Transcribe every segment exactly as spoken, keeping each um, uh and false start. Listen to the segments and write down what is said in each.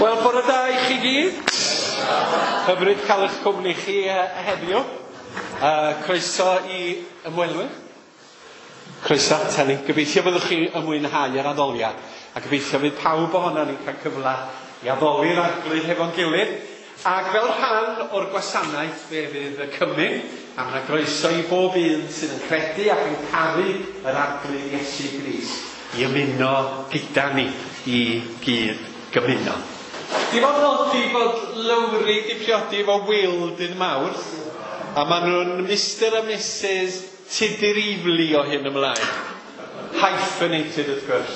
Wel, bore da i chi gyd. Hyfryd cael eich cwmni chi heddiw. Uh, croeso i ymwelwyr. Croeso ata ni. Gobeithio byddwch chi yn mwynhau yr addoliad. A gobeithio fydd pawb ohono ni'n cael cyfle i addoli'r Arglwydd hefo'n gilydd. Ac fel rhan o'r gwasanaeth fe fydd y cymun, a mae 'na groeso i bob un sydd yn credu ac yn caru yr Arglwydd Iesu Grist i ymuno gyda ni i gyd gymuno. Di fod nodi bod Lowri di priodi efo Will dydd Mawrth, a maen nhw'n Mister a Missus Tudur Ifli o hyn ymlaen. Hyphenated, wrth gwrs.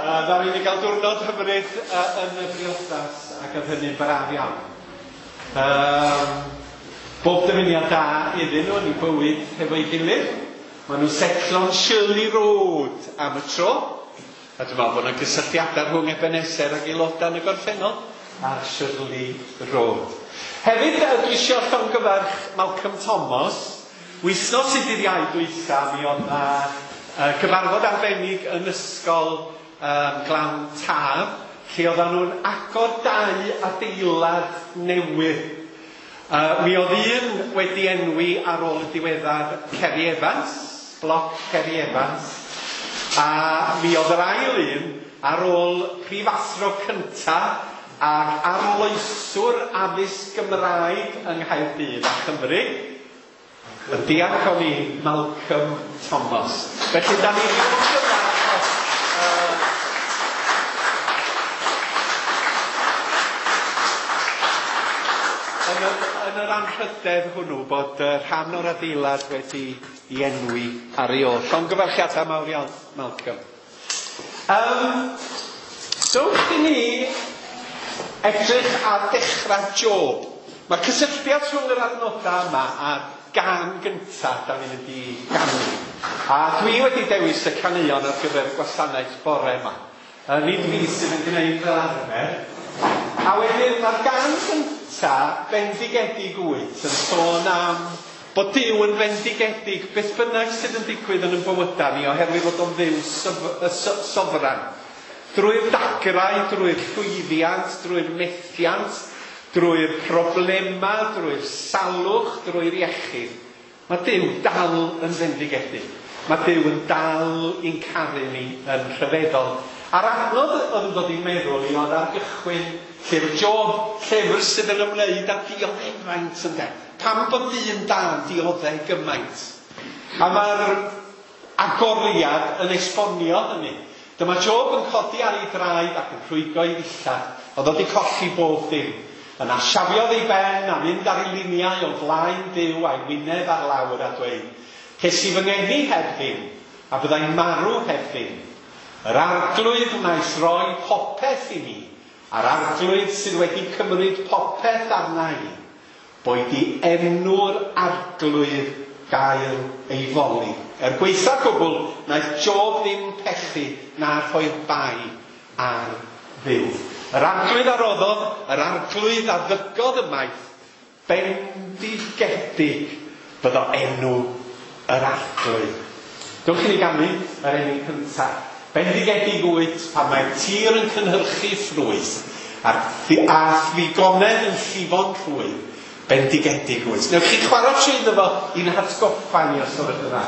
Uh, Ddaru ni gael diwrnod hyfryd uh, yn y briodas, ac oedd hynny'n braf iawn. Um, bob dymuniad da iddyn nhw yn eu bywyd hefo'i gilydd. Maen nhw'n setlo'n Shirley Road am y tro. A dwi'n meddwl bod yna gysylltiadau rhwng Ebenezer ac aelodau yn y gorffennol ar Shirley Road. Hefyd, dwi eisiau llongyfarch Malcolm Thomas. Wythnos i dydd Iau dwytha, mi oedd yna uh, gyfarfod arbennig yn ysgol um, Glan Taf, lle oedden nhw'n agor dau adeilad newydd. Uh, mi oedd un wedi enwi ar ôl y diweddar Kerry Evans, bloc Kerry Evans, a mi oedd yr ail un ar ôl prifathro cynta ac arloeswr addysg Gymraeg yng Nghaerdydd a Chymru, y diacon i Malcolm Thomas. Felly, da ni'n llongyfarch uh, yn yr, yn yr anrhydedd hwnnw bod uh, rhan o'r adeilad wedi i enwi ar ei ôl. Llongyfarchiadau mawr iawn, Malcolm. Um, dowch i ni edrych ar dechrau Job. Mae cysylltiad rhwng yr adnodau yma a'r gan gyntaf da ni'n mynd i ganu. A dwi wedi dewis y caneuon ar gyfer y gwasanaeth bore yma. Uh, nid fi sydd yn gwneud fel arfer. A wedyn mae'r gan gyntaf, Bendigedig Wyt, yn sôn am bod Duw yn fendigedig beth bynnag sydd yn digwydd yn ein bywydau ni oherwydd fod o'n Dduw sofran. Drwy'r dagrau, drwy'r llwyddiant, drwy'r methiant, drwy'r problemau, drwy'r salwch, drwy'r iechyd. Mae Duw dal yn fendigedig. Mae Duw yn dal i'n caru ni yn rhyfeddol. A'r adnodd oedd yn dod i'n meddwl i oedd ar gychwyn llyfr Job, llyfr sydd yn ymwneud â dioddefaint ynde. Pam bod dyn da'n dioddef gymaint? A mae'r agoriad yn esbonio hynny. Dyma Job yn codi ar ei draed ac yn rhwygo ei ddillad. Oedd o wedi colli bob dim. Yna siafiodd ei ben a mynd ar ei liniau o flaen Duw a'i wyneb ar lawr a dweud, ces i fy ngeni heb ddim, a byddai'n marw heb ddim. Yr Arglwydd wnaeth roi popeth i mi, a'r Arglwydd sydd wedi cymryd popeth arna i, boed i enw'r Arglwydd gael ei foli. Er gwaetha cwbl, wnaeth Job ddim pechu na rhoi'r bai ar Dduw. Yr Arglwydd a roddodd, yr Arglwydd a ddygodd ymaith, bendigedig fyddo enw yr Arglwydd. Dewch i ni ganu yr enw cyntaf. Bendigedig wyt pan mae'r tir yn cynhyrchu ffrwyth a'r a thrigonedd yn llifo'n rhwydd. Bendigedig wyt. Newch chi chwarae trwyddo fo i'n hatgoffa ni os yw'n dda.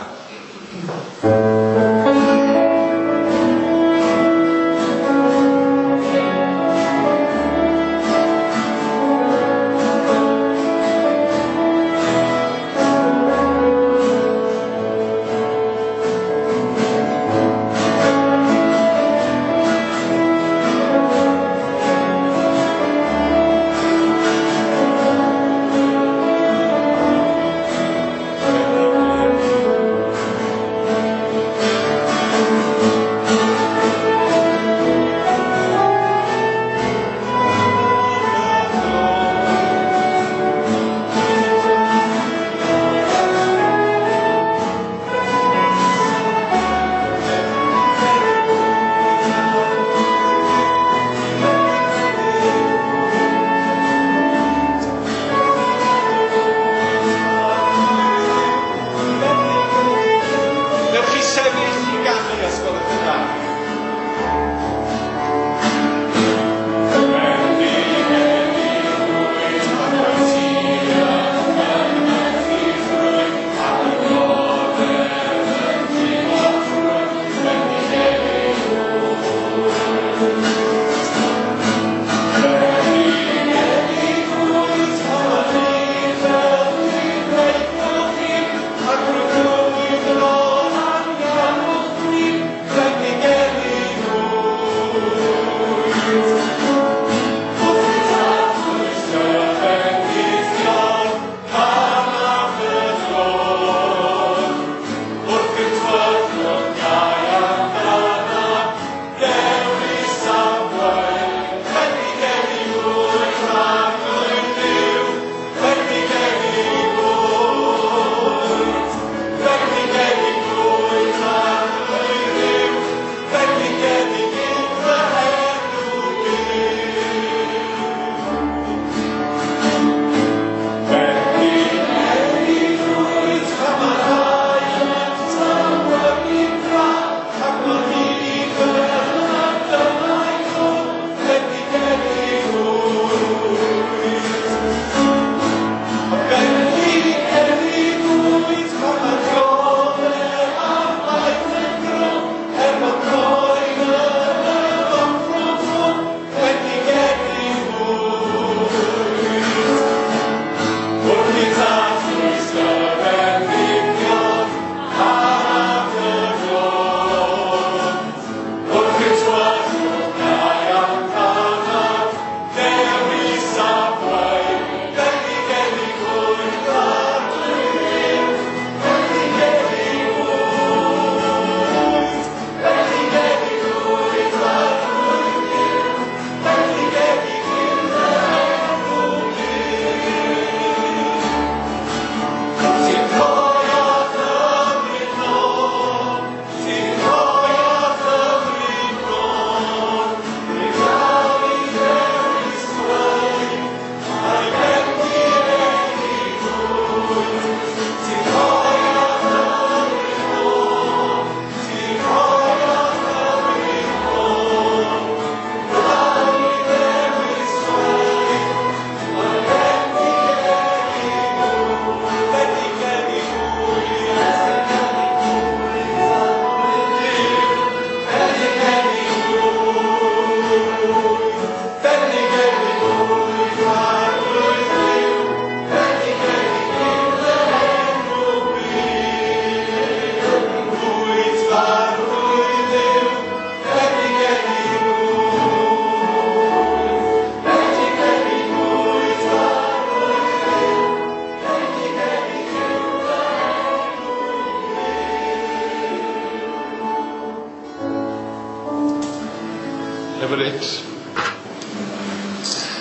Hyfryd.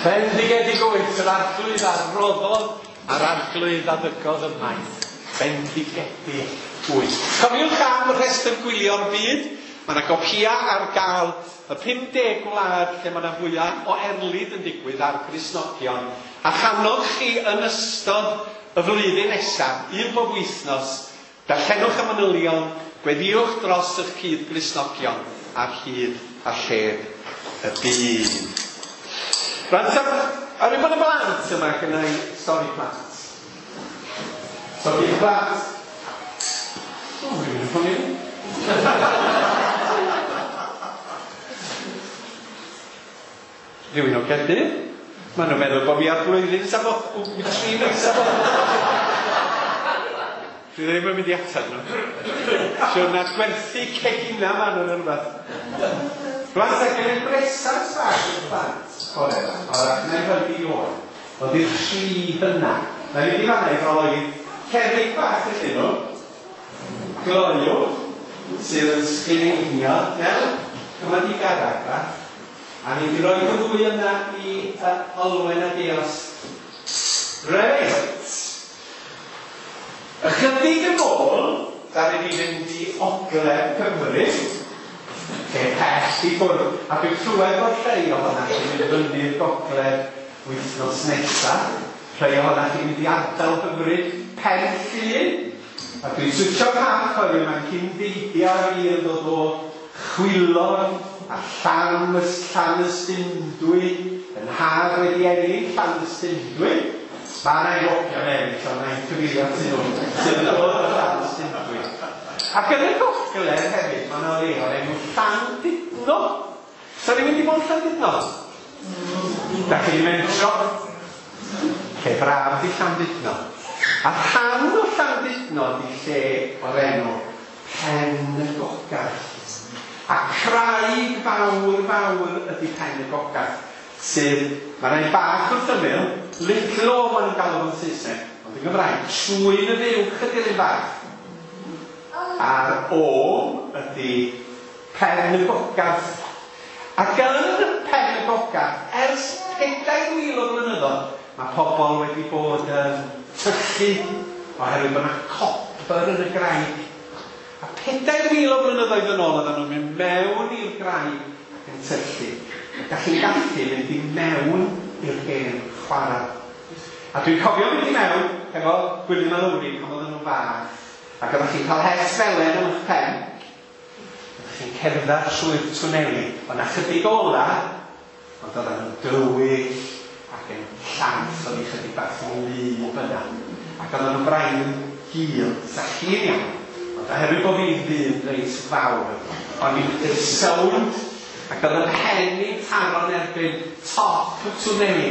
Bendigedig wyt yr arglwydd a roddodd a'r arglwydd a ddygodd ymaith. Bendigedig wyt. Cofiwch am rhestr gwylio'r byd. Mae yna gopia ar gael y pum deg gwlad lle mae yna fwyaf o erlid yn digwydd ar Gristnogion. A channog chi yn ystod y flwyddyn nesaf, un bob wythnos, darllenwch y manylion, gweddïwch dros eich cyd Gristnogion ar hyd a lled y byd. Rwan, ar rhywbeth y blant yma gynna i stori plant. Stori plant. O, rhywun yn ffonio. Rhywun o Gaerdydd. Maen nhw'n meddwl bod fi ar blwyddyn safod, tri mis safod. Dwi ddim yn mynd i ateb nhw. Siwr na gwerthu cegina maen nhw'n rhywbeth. Rwan, da gen i'n bresant bach i'r plant. Bore yma. O'r na i rhoi i oed. Ond i'r tri hynna. Na i fynd i fanna i roi cerrig bach iddyn nhw. Gloyw, sydd yn sgleinio. Iawn? Cyma di garag bach. A ni wedi rhoi y ddwy yna i uh, Olwen a Dios. Reit. Ychydig yn ôl, da ni wedi fynd i Ogledd Cymru, lle pell i ffwrdd. A dwi'n clywed bod rhai ohonoch chi'n mynd fyny'r gogledd wythnos nesaf. Rhai ohonoch chi'n mynd i ardal hyfryd Pen Llŷn. A dwi'n switio cath oherwydd mae'n cyn-deidio fi yn dod o Chwilon a Llan, Llanystumdwy, yn nhad wedi ennill Llanystumdwy. Mae yna enwogion eraill, ond mae'n cyfeirio atyn nhw sydd yn dod o Llanystumdwy. Ac yn y gogledd hefyd, mae yna le o'r enw Llandudno. So ni'n mynd i bod yn Llandudno? Da chi'n mentro? Lle braf di Llandudno. A rhan o Llandudno di lle o'r enw Pen y Gogarth. A craig fawr fawr ydy Pen y Gogarth, sydd, mae rhai bach wrth ymyl, Little O maen nhw'n galw fo'n Saesneg, ond yn Gymraeg, Trwyn y Fuwch ydy'r un bach. A'r O ydy Pen y Gogarth. Ac yn Pen y Gogarth, ers pedair mil o blynyddoedd, mae pobl wedi bod yn tyllu oherwydd bod yna copr yn y graig. A pedair mil o blynyddoedd yn ôl oedden nhw'n mynd mewn i'r graig ac yn tyllu. A da chi'n gallu mynd i mewn i'r hen chwarae. A dwi'n cofio mynd i mewn efo Gwilym a Lowri pan oedden nhw'n fach. Ac oeddech chi'n cael het felen am eich pen. Oeddech chi'n cerdded trwy'r twneli. Oedd 'na chydig ola, ond oedden nhw'n dywyll ac yn llath, oedd hi chydig bach yn wlyb yna. Ac oedden nhw'n braidd yn gul, sa chi'n iawn. Ond oherwydd bod fi'n ddyn reit fawr, o'n i'n sownd ac oedd yn mhen i'n taro'n erbyn top y twneli.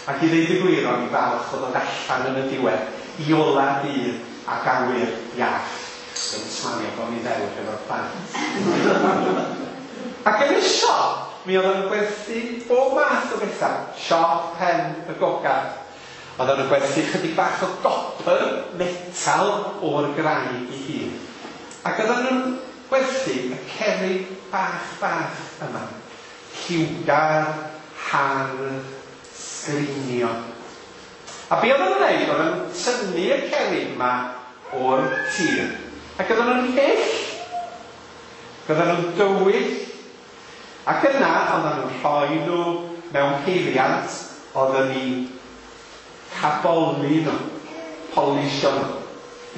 Ac i ddeud y gwir, o'n i'n falch o ddod allan yn y diwedd i ola dydd ac awyr iach. Dwi'n smalio bod fi'n ddewr efo'r plant. Ac yn y siop, mi oedden nhw'n gwerthu bob math o bethau. Siop Pen y Gogarth. Oedden nhw'n gwerthu chydig bach o gopr, metal o'r graig i hun. Ac oedden nhw'n gwerthu y cerrig bach bach yma. Lliwgar, hardd, sgrinio. A be oedden nhw'n gwneud, oedden nhw'n tynnu y cerrig yma o'r tir. Ac oedden nhw'n hyll. Oedden nhw'n dywyll. Ac yna, oedden nhw'n rhoi nhw mewn peiriant, oedden ni caboli nhw, polisio nhw.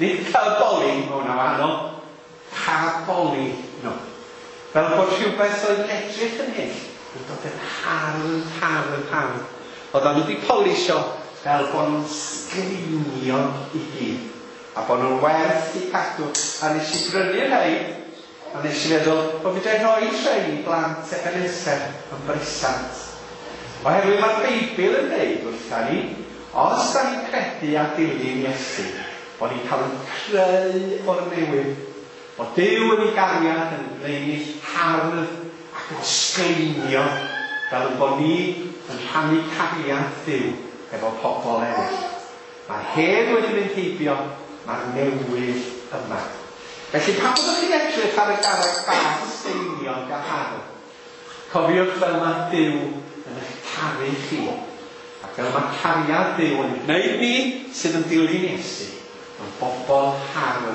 Nid caboli, mae hwnna wahanol, caboli nhw. Fel bod rhywbeth oedd yn edrych yn hyll, yn dod yn hardd, hardd, hardd. Oedden nhw wedi polisio fel bod nhw'n sgrinio i gyd. A bod nhw'n werth i cadw. A nes i brynu rhai, a nes i feddwl bod fedra i rhoi rhai i blant Ebenezer yn bresant. Oherwydd mae'r Beibl yn dweud wrtha ni, os da ni'n credu a dilyn Iesu, bod ni'n cael yn creu o'r newydd, bod Duw yn ei gariad yn gwneud ni hardd ac yn sgleinio, fel yn bod ni yn rhannu cariad Duw efo pobl eraill. Mae'r hen wedi mynd heibio, mae'r newydd yma. Felly pan byddwch chi'n edrych ar y garreg bach steiniog a hardd, Cofiwch fel mae Duw yn eich caru chi. Ac fel mae cariad Duw yn gwneud ni sydd yn dilyn Iesu yn bobl hardd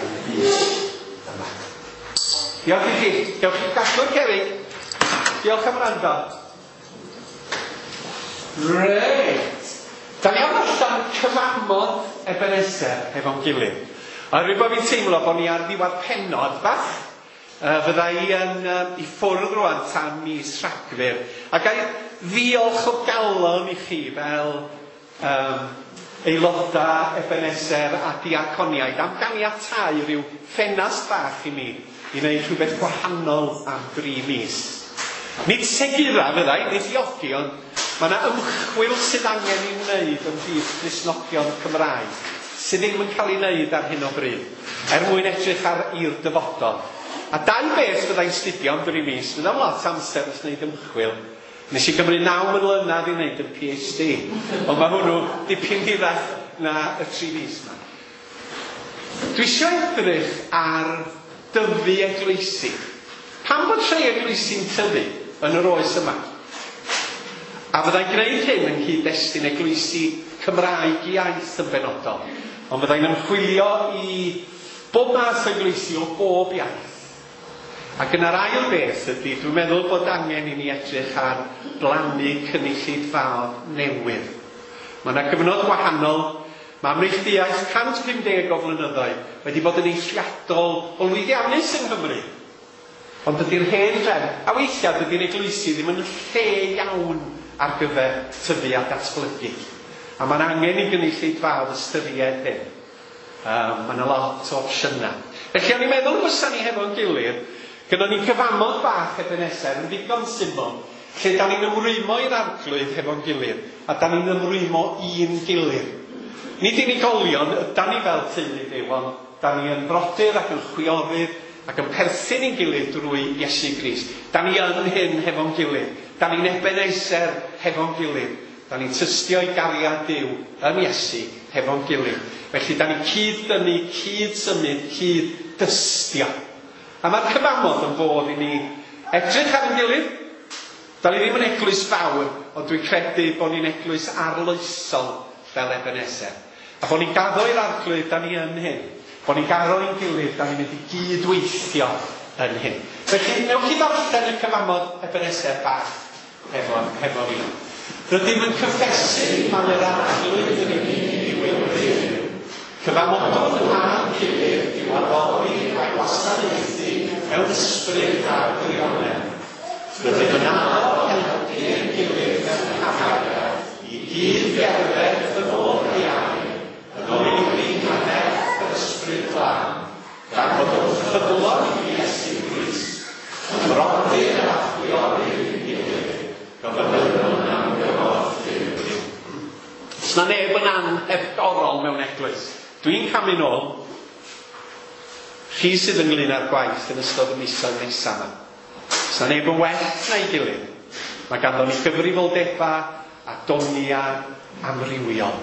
yn y byd yma. Diolch i chi. Diolch i gadw'r cerrig. Diolch am wrando. Reit. Da ni am allan cyfamod Ebenezer hefo'n gilydd. A rwy'n bod fi'n teimlo bod ni ar ddiwedd pennod bach. Uh, fydda i yn uh, i ffwrdd rwan tan mis Rhagfyr. A ga i ddiolch o galon i chi fel um, aelodau Ebenezer a diaconiaid am ganiatáu rhyw ffenast bach i mi i wneud rhywbeth gwahanol am dri mis. Nid segura fydda i, nid diogi, ond mae yna ymchwil sydd angen ei wneud ymhlith Cristnogion Cymraeg sydd ddim yn cael ei wneud ar hyn o bryd, er mwyn edrych ar i'r dyfodol. A dau beth fyddai'n studio am dri mis, fyddai'n lot amser wrth wneud ymchwil. Nes i gymryd naw mlynedd i wneud y P H D, ond mae hwnnw dipyn hirach na y tri mis yma. Dwi eisiau edrych ar dyfu eglwysi. Pam bod rhai eglwysi'n tyfu yn yr oes yma? A fyddai'n gwneud hyn yng nghyd-destun eglwysi Cymraeg iaith yn benodol. Ond fyddai'n ymchwilio i bob math o eglwysi o bob iaith. Ac yna'r ail beth ydy, dwi'n meddwl bod angen i ni edrych ar blannu cynulleidfaoedd newydd. Mae yna gyfnod gwahanol. Mae Ymneilltuaeth cant pum deg o flynyddoedd wedi bod yn eithriadol o lwyddiannus yng Nghymru. Ond dydy'r hen drefn, a weithiau dydy'r eglwysi ddim yn lle iawn ar gyfer tyfu a datblygu. A mae'n angen i gynulleidfaoedd ystyried hyn. Um, mae yna lot o opsiynau. Felly o'n i'n meddwl fysa ni hefo'n gilydd, gynnon ni cyfamod bach Ebenezer yn ddigon syml, lle da ni'n ymrwymo i'r Arglwydd hefo'n gilydd, a da ni'n ymrwymo i'n gilydd. Nid unigolion, da ni fel teulu Duw, ond da ni yn brodyr ac yn chwiorydd ac yn perthyn i'n gilydd drwy Iesu Grist. Da ni yn hyn hefo'n gilydd. Da ni'n Ebenezer hefo'n gilydd. Da ni'n tystio i gariad Duw yn Iesu hefo'n gilydd. Felly da ni'n cyd-dynnu, cyd-symud, cyd-dystio. A mae'r cyfamod yn fodd i ni edrych ar ein gilydd. Da ni ddim yn eglwys fawr, ond dwi'n credu bod ni'n eglwys arloesol fel Ebenezer. A bod ni'n gaddo i'r Arglwydd, da ni yn hyn. Bod ni'n gaddo i'n gilydd, da ni'n mynd i gydweithio yn hyn. Felly, newch chi ddarllen y cyfamod Ebenezer bach hefo, hefo fi. Rydym yn cyffesu mai yr Arglwydd yn unig yw ein Duw. Cyfamodwn â'n gilydd i'w addoli a'i wasanaethu mewn ysbryd a gwirionedd. Rydym yn addo helpu ein gilydd mewn cariad i gyd gerdded yn ôl ei air, yng ngoleuni nerth yr Ysbryd Glân, gan fod yn ffyddlon i Iesu Grist, yn frodyr a chwiorydd i'n gilydd, gofynnwn am gymorth Duw. Does na neb yn anhebgorol mewn eglwys. Dwi'n camu nôl. Chi sydd ynglyn â'r gwaith yn ystod y misoedd nesaf yma. Does na neb yn well na'i gilydd. Mae ganddo ni gyfrifoldebau a doniau amrywiol.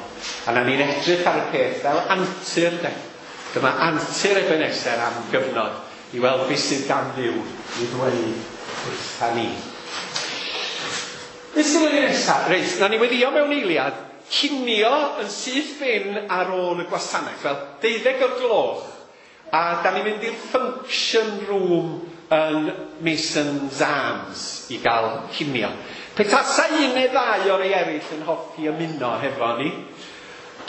A na ni'n edrych ar y peth fel antur, de. Dyma antur Ebenezer am gyfnod i weld beth sydd gan Dduw i ddweud wrtha ni. Beth sydd yn nesaf? Reit, na ni weddio mewn eiliad, cinio yn syth bin ar ôl y gwasanaeth, fel deuddeg o'r gloch, a da ni'n mynd i'r function room yn Mason's Arms i gael cinio. Petasa un neu ddau o'r rei eraill yn hoffi ymuno hefo ni,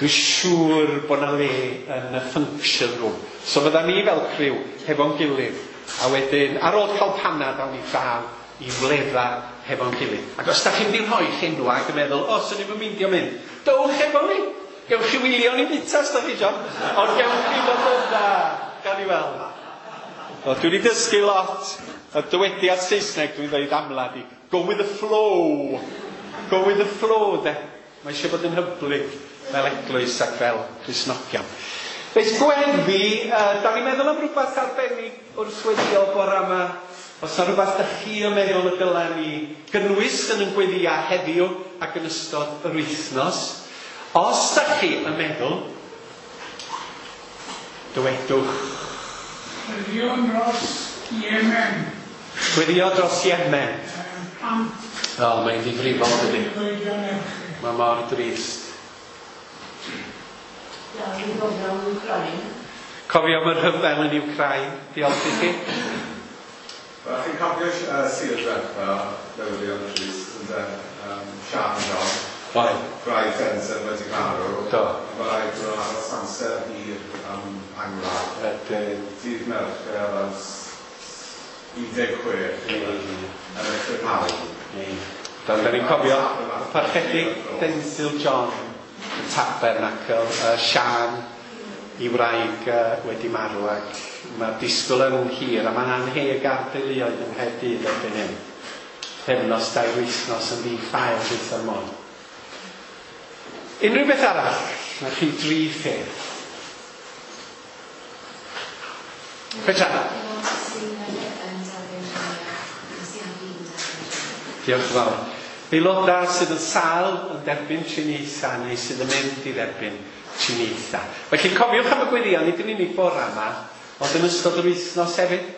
dwi'n siŵr bod na le yn y function room. So fydda ni fel criw hefo'n gilydd. A wedyn, ar ôl cael panad, awn ni draw i wledda hefo'n gilydd. Ac os da chi'n mynd i rhoi enw ac yn meddwl, "O, swn i'n meindio mynd," dowch efo ni. Gewch chi wylio ni bita os da chi isio. Ond gewch chi fod yna, gawn ni weld. O, dwi wedi dysgu lot. Y dywediad Saesneg dwi'n dweud amla di, "Go with the flow." Go with the flow, de. Mae eisiau bod yn hyblyg fel eglwys ac fel Cristnogion. Reit, gweddi, uh, da ni'n meddwl am rhywbeth arbennig wrth weddio bore yma. Os yna rhywbeth da chi yn meddwl y dylen ni gynnwys yn yn gweddia heddiw ac yn ystod yr wythnos. Os da chi yn meddwl, dywedwch. Gweddïwn dros Yemen. Gweddio dros Yemen. O, mae'n ddifrifol, dydy. Mae mor drist. Cofio am y rhyfel yn Wcráin. Diolch i chi. Wel, chi'n cofio uh, Sir diwetha, newyddion trist, ynde? Um, Sian John. Oedd. Gwraig Denzel wedi marw. Do. Mae rhaid bod nhw'n aros amser hir am angladd. Ydyn. Dydd Mercher am un deg chwech yn y prynhawn. Da ni'n cofio y Parchedig Denzil John, y Tabernacl, uh, Sian i wraig uh, wedi marw, ac mae'r disgwyl yn hir a mae'n anheg ar deuluoedd yng Nghaerdydd erbyn hyn. Pythefnos, dair wythnos yn ddi-ffael beth môn. Unrhyw beth arall? Mae chi dri pheth. Petra. Diolch yn fawr. Aelodau sydd yn sâl yn derbyn triniaethau neu sydd yn mynd i dderbyn triniaethau. Felly cofiwch am y gweddion, nid yn unig bore yma, ond yn ystod yr wythnos hefyd.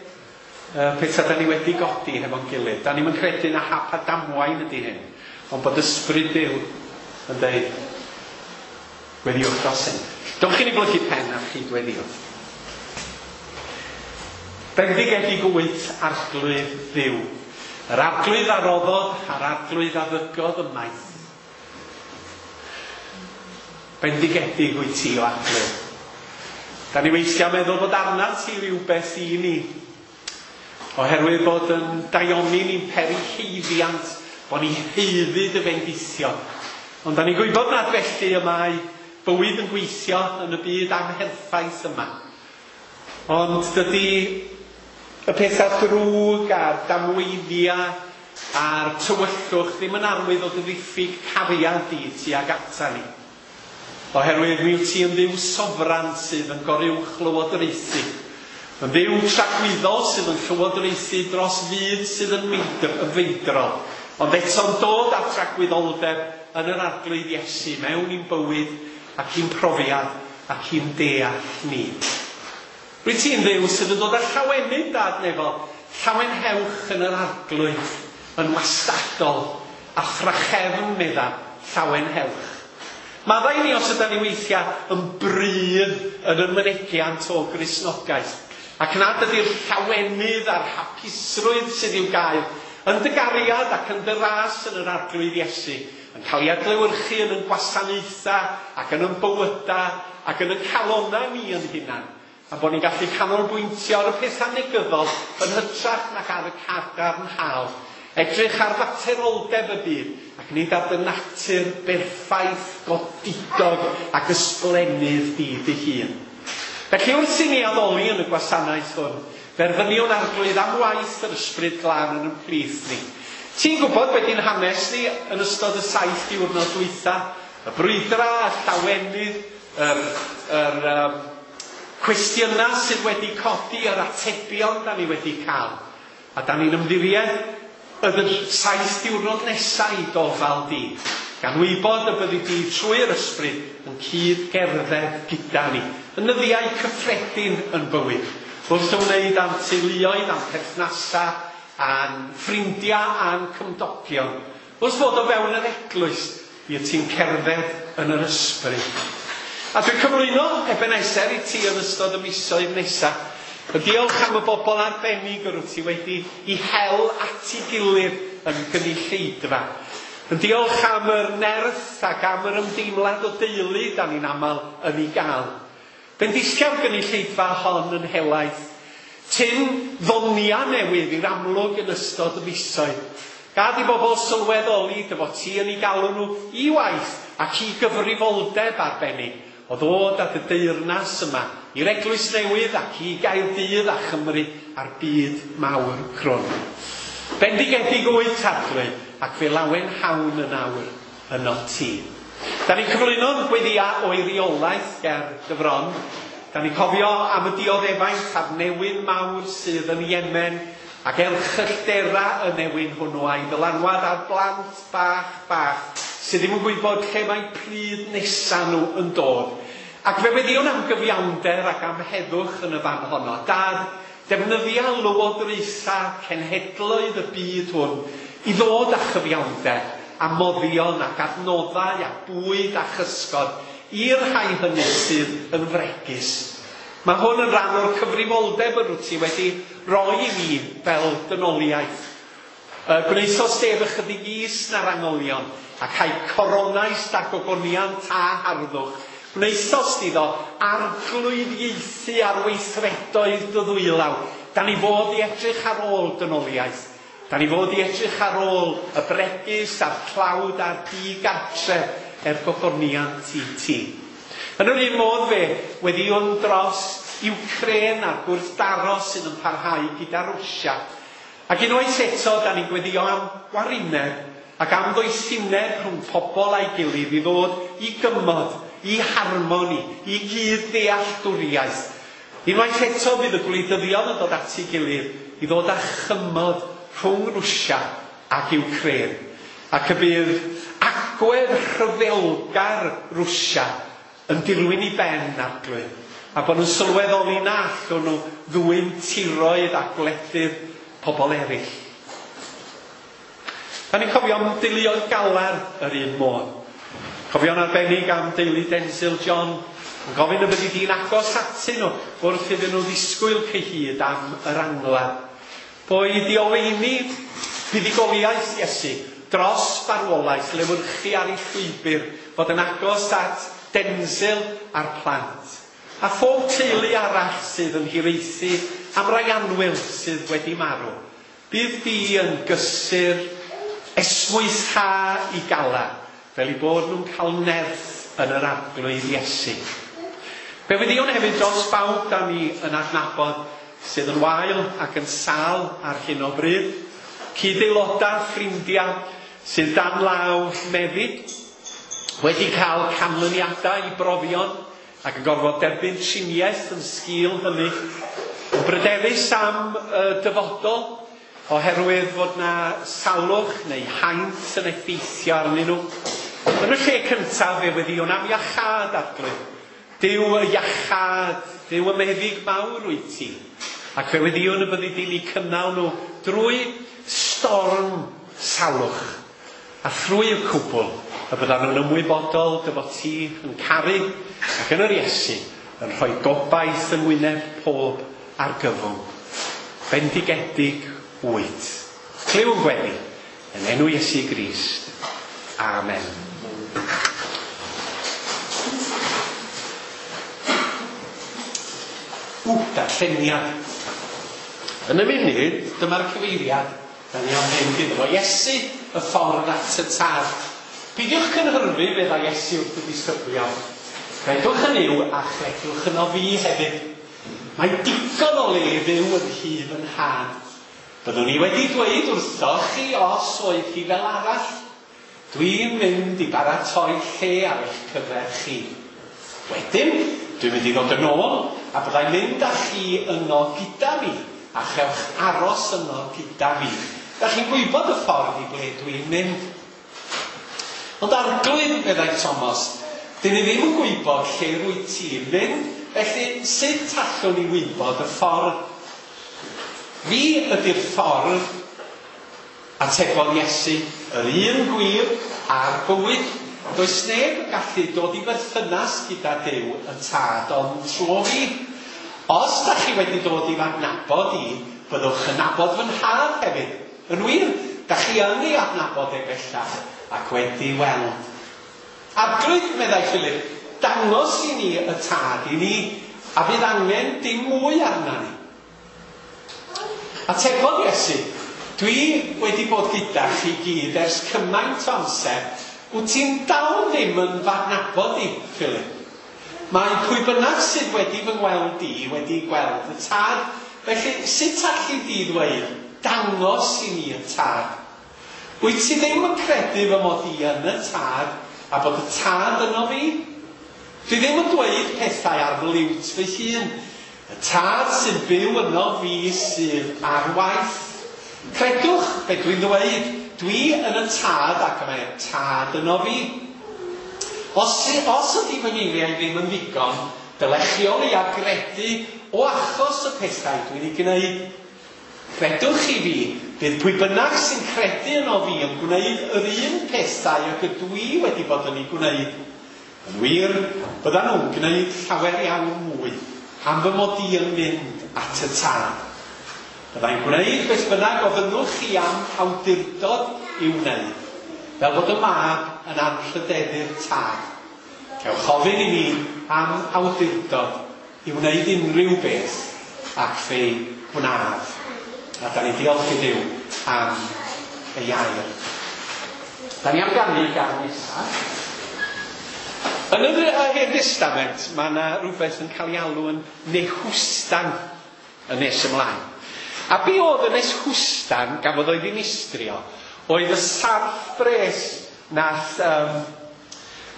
Uh, pethau da ni wedi godi hefo'n gilydd. Da ni'm yn credu na hap a damwain ydy hyn, ond bod ysbryd Duw yn dweud, gweddiwch dros hyn. Dowch i ni blygu pen a chyd-weddio. Bendigedig wyt Arglwydd Dduw, yr Arglwydd a roddodd a'r Arglwydd a ddygodd ymaith. Bendigedig wyt ti o Arglwydd. Da ni weithiau meddwl bod arnat ti rhywbeth i ni, oherwydd bod yn daioni ni'n peri haeddiant, bod ni haeddu dy fendithion. Ond da ni'n gwybod nad felly y mae bywyd yn gweithio yn y byd amherffaith yma. Ond dydy y pethau drwg a'r damweithiau a'r tywyllwch ddim yn arwydd o dy ddiffyg cariad di tuag ata ni. Oherwydd mi wyt ti yn Dduw sofran sydd yn goruwch lywodraethu. Yn Dduw tragwyddol sydd yn llywodraethu dros fyd sydd yn feidrol. Ond eto'n dod â tragwyddoldeb yn yr Arglwydd Iesu mewn i'n bywyd ac i'n profiad ac i'n deall ni. Rwyt ti'n Dduw sydd yn dod â llawenydd Dad nefol, llawenhewch yn yr Arglwydd, yn wastadol, a thrachefn medda, llawenhewch. Maddau ni os ydan ni weithiau yn brudd yn y mynegiant o Gristnogaeth, ac nad ydy'r llawenydd a'r hapusrwydd sydd i'w gael yn dy gariad ac yn dy ras yn yr Arglwydd Iesu, yn cael ei adlewyrchu yn ein gwasanaethau ac yn ein bywydau ac yn ein calonnau ni yn hunan, a bod ni'n gallu canolbwyntio ar y pethau negyddol yn hytrach nag ar y cadarnhaol. Edrych ar fateroldeb y byd ac nid ar dy natur berffaith, godidog ac ysblennydd di dy hun. Felly wrth i ni addoli yn y gwasanaeth hwn, ferfyniwn Arglwydd am waith yr Ysbryd Glân yn ein plith ni. Ti'n gwybod beth yw'n hanes ni yn ystod y saith diwrnod dwytha? Y brwydra, y llawenydd, yr, yr um, cwestiynau sydd wedi codi, yr atebion da ni wedi cael. A da ni'n ymddiried y saith diwrnod nesaf i dofal di, gan wybod y byddi di trwy'r ysbryd yn cyd-gerdded gyda ni, yn nyddiau cyffredin yn bywyd, wrth ymwneud â'n teuluoedd, â'n perthnasau, â'n ffrindiau, â'n cymdogion. Wrth fod o fewn yr eglwys, mi wyt ti'n cerdded yn yr ysbryd. A dwi'n cyflwyno Ebenezer i ti yn ystod y misoedd nesaf. Diolch am y bobl arbennig yr wyt ti wedi i hel at ei gilydd yn gynulleidfa. Yn diolch am yr nerth ac am yr ymdeimlad o deulu da ni'n aml yn ei gael. Bendithia'r gynulleidfa hon yn helaeth. Tyn ddonia newydd i'r amlwg yn ystod y misoedd. Gad i bobl sylweddoli dy fod ti yn ei galw nhw i waith ac i gyfrifoldeb arbennig o ddod at y deyrnas yma i'r eglwys newydd ac i Gaerdydd a Chymru a'r byd mawr crwn. Bendigedig wyt Arglwydd ac fe lawen hawn yn awr yno ti. Da ni'n cyflwyno'n gweddia o eiriolaeth ger dy fron. Da ni'n cofio am y dioddefaint a'r newyn mawr sydd yn Yemen ac erchylltera y newyn hwnnw a'i ddylanwad ar blant bach bach sydd ddim yn gwybod lle mae pryd nesa nhw yn dod. Ac fe weddïwn am gyfiawnder ac am heddwch yn y fan honno. Dad, Defnyddia lywodraethau cenhedloedd y byd hwn i ddod â chyfiawnder a moddion ac adnoddau a bwyd a chysgod i'r rhai hynny sydd yn fregus. Mae hwn yn rhan o'r cyfrifoldeb yr wyt ti wedi roi i ni fel dynoliaeth. Gwnaethost ef ychydig is na'r angylion, ac a'i coronais da gogoniant a harddwch. Gwnaethost iddo arglwyddiaethu ar weithredoedd dy ddwylaw. Da ni fod i edrych ar ôl dynoliaeth. Da ni fod i edrych ar ôl y bregus a'r tlawd a'r digartref er gogoniant i ti. Yn yr un modd fe, weddïwn dros Iwcrên a'r gwrthdaro sydd yn parhau gyda Rwsia. Ac unwaith eto, da ni'n gweddio am warineb ac am ddoethineb rhwng pobl a'i gilydd i ddod i gymod, i harmoni, i gyd-ddealltwriaeth. Unwaith eto fydd y gwleidyddion yn dod at ei gilydd i ddod â chymod rhwng Rwsia ac Iwcrên. Ac y bydd agwedd rhyfelgar Rwsia yn dirwyn i ben Arglwydd, a bod nhw'n sylweddoli na allwn nhw ddwyn tiroedd a gwledydd pobl eraill. Da ni'n cofio am deuluoedd Galar yr un modd. Cofio'n arbennig am deulu Denzil John, yn gofyn y byddi di'n agos atyn nhw wrth iddyn nhw ddisgwyl cyhyd am yr angladd. Boed i oleuni buddugoliaeth Iesu dros farwolaeth lewyrchu ar ei llwybr, fod yn agos at Denzil a'r plant. A phob teulu arall sydd yn hiraethu am rai annwyl sydd wedi marw. Bydd di yn gysur esmwytha i gala, fel i bod nhw'n cael nerth yn yr Arglwydd Iesu. Fe weddïwn hefyd dros bawb da ni yn adnabod sydd yn wael ac yn sâl ar hyn o bryd, cyd-aelodau, ffrindiau sydd dan law meddyg, wedi cael canlyniadau i brofion ac yn gorfod derbyn triniaeth yn sgil hynny, yn bryderus am y dyfodol oherwydd fod na salwch neu haint yn effeithio arnyn nhw. Yn y lle cyntaf fe weddïwn am iachâd, Arglwydd. Duw y iachâd, Duw y meddyg mawr wyt ti. Ac fe weddïwn y byddi di'n eu cynnal nhw drwy storm salwch. A thrwy y cwbl, y byddan nhw'n ymwybodol dy fod ti yn caru ac yn yr Iesu yn rhoi gobaith yng ngwyneb pob argyfwng. Bendigedig wyt. Clyw yn gweddi, yn enw Iesu Grist. Amen. Ww, darlleniad. Yn y munud, dyma'r cyfeiriad da ni am fynd iddo fo. Iesu, y ffordd at y Tad. Peidiwch cynhyrfu, feddai Iesu wrth y disgyblion. Credwch yn Nuw a chredwch yno fi hefyd. Mae digon o le fyw yn nhŷ fy nhad. Byddwn i wedi dweud wrthoch chi os oedd hi fel arall. Dwi'n mynd i baratoi lle ar eich cyfer chi. Wedyn, dwi'n mynd i ddod yn ôl a byddai'n mynd â chi yno gyda fi, a chewch aros yno gyda fi. Da chi'n gwybod y ffordd i ble dwi'n mynd. Ond Arglwydd, meddai Thomas, dyn ni ddim yn gwybod lle rwyt ti'n mynd, felly sut allwn ni wybod y ffordd? Fi ydy'r ffordd, atebodd Iesu, yr un gwir a'r bywyd. Does neb yn gallu dod i berthynas gyda Duw y Tad ond trwy fi. Os da chi wedi dod i fy adnabod i, byddwch yn nabod fy nhad hefyd. Yn wir, da chi yn ei adnabod e bellach ac wedi weld. Arglwydd, meddai Philip, dangos i ni y Tad i ni, a fydd angen dim mwy arna ni. Atebodd Iesu, dwi wedi bod gyda chi gyd ers cymaint o amser, wyt ti'n dal ddim yn fy adnabod i, Philip. Mae pwy bynnag sydd wedi fy ngweld i wedi gweld y Tad, felly sut alli di ddweud, dangos i ni y Tad? Wyt ti ddim yn credu fy mod i yn y Tad, a bod y Tad yno fi? Dwi ddim yn dweud pethau ar fy liwt fy hun. Y Tad sy'n byw yno fi sydd ar waith. Credwch be dwi'n ddweud, dwi yn y Tad ac mae'r Tad yno fi. Os, os ydy fy ngeiriau ddim yn ddigon, Dylech chi o leia gredu o achos y pethau dwi'n ei gwneud. Credwch chi fi, bydd pwy bynnag sy'n credu yno fi yn gwneud yr un pethau ag ydw i wedi bod yn ei gwneud. Yn wir, byddan nhw'n gwneud llawer iawn mwy am fy mod i yn mynd at y Tad. Byddai'n gwneud beth bynnag ofynnwch chi am awdurdod i'w wneud, fel bod y Mab yn anrhydeddu'r Tad. Cewch ofyn i mi am awdurdod i wneud unrhyw beth, ac fe'i gwnaf. A da ni diolch i Dduw am ei air. Da ni am ganu gan nesaf. Yn yr Hen Testament, mae yna rhywbeth yn cael ei alw yn Nehwstan yn nes ymlaen. A be oedd y Nehwstan gafodd o'i ddinistrio oedd y sarff bres nath um,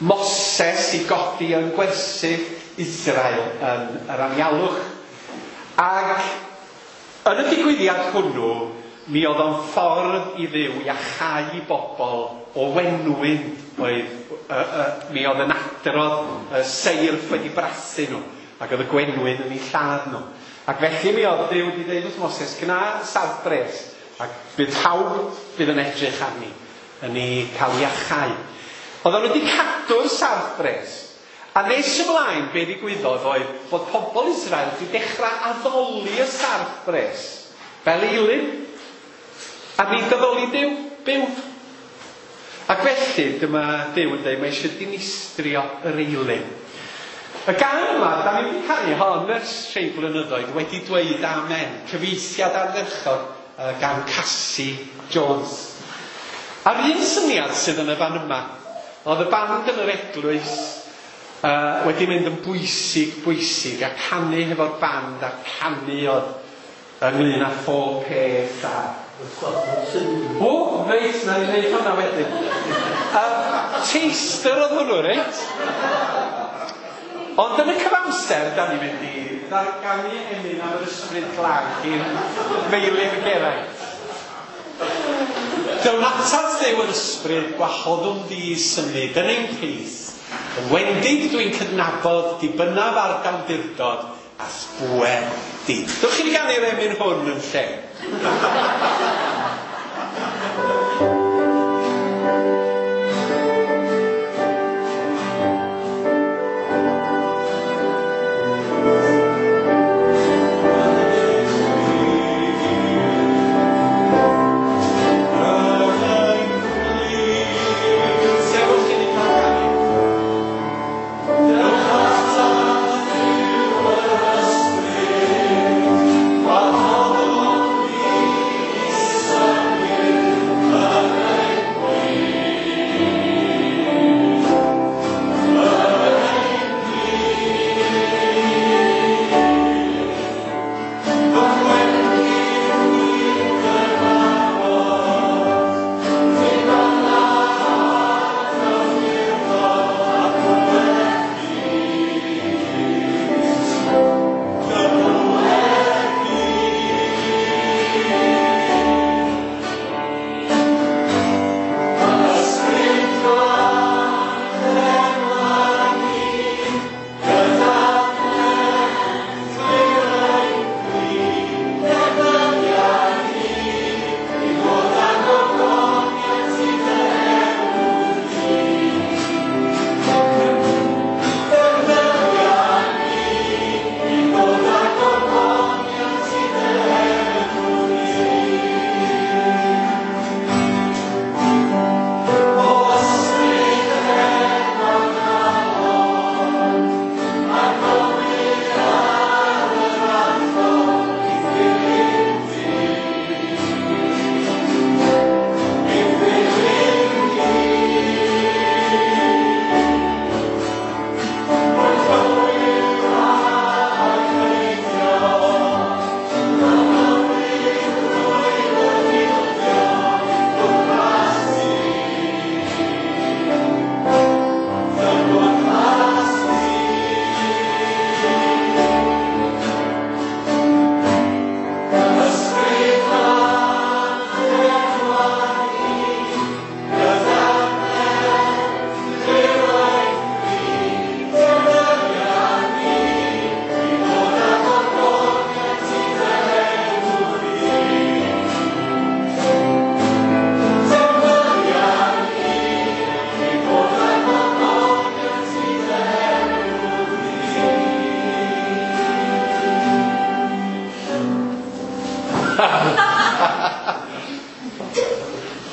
Moses i godi yn gwersyll Israel yn yr anialwch. Ac yn y digwyddiad hwnnw, mi oedd o'n ffordd i Dduw iachau i bobl o wenwyn oedd, uh, uh, mi oedd yn adrodd uh, seirff wedi brathu nhw, ac oedd y gwenwyn yn eu lladd nhw. Ac felly mi oedd Duw wedi dweud wrth Moses, gna sarff bres, ac bydd pawb bydd yn edrych arni yn ei cael iachau. Oedden nhw wedi cadw'r sarff bres, a nes ymlaen be ddigwyddodd oedd bod pobl Israel wedi dechrau addoli y sarff bres fel eilun, a nid addoli Duw, byw. Ac felly dyma Duw yn dweud mae eisiau dinistrio yr eilun. Y gân yma, da ni wedi canu hon ers rhai blynyddoedd, wedi dweud amen, cyfieithiad ardderchog uh, gan Cassie Jones. A'r un syniad sydd yn y fan yma, oedd y band yn yr eglwys uh, wedi mynd yn bwysig, bwysig, a canu hefo'r band, a canu oedd ynglyn â phob peth a... O, reit, na ni wneud hwnna wedyn. Uh, taster oedd hwnnw, reit? Ond yn y cyfamser, da ni'n mynd i ddarganu emyn am yr Ysbryd Glân gyn Meilir Geraint. Dywn atat Dduw yr Ysbryd, gwahoddwn di symud yn ein plith. Yn wendid dwi'n cydnabod, dibynnaf ar dawdurdod a thbŵer di. Dewch i ni ganu'r emyn hwn yn lle. Sefwch i ni cael canu. Dewch atat Dduw yr Ysbryd, gwahoddwn di.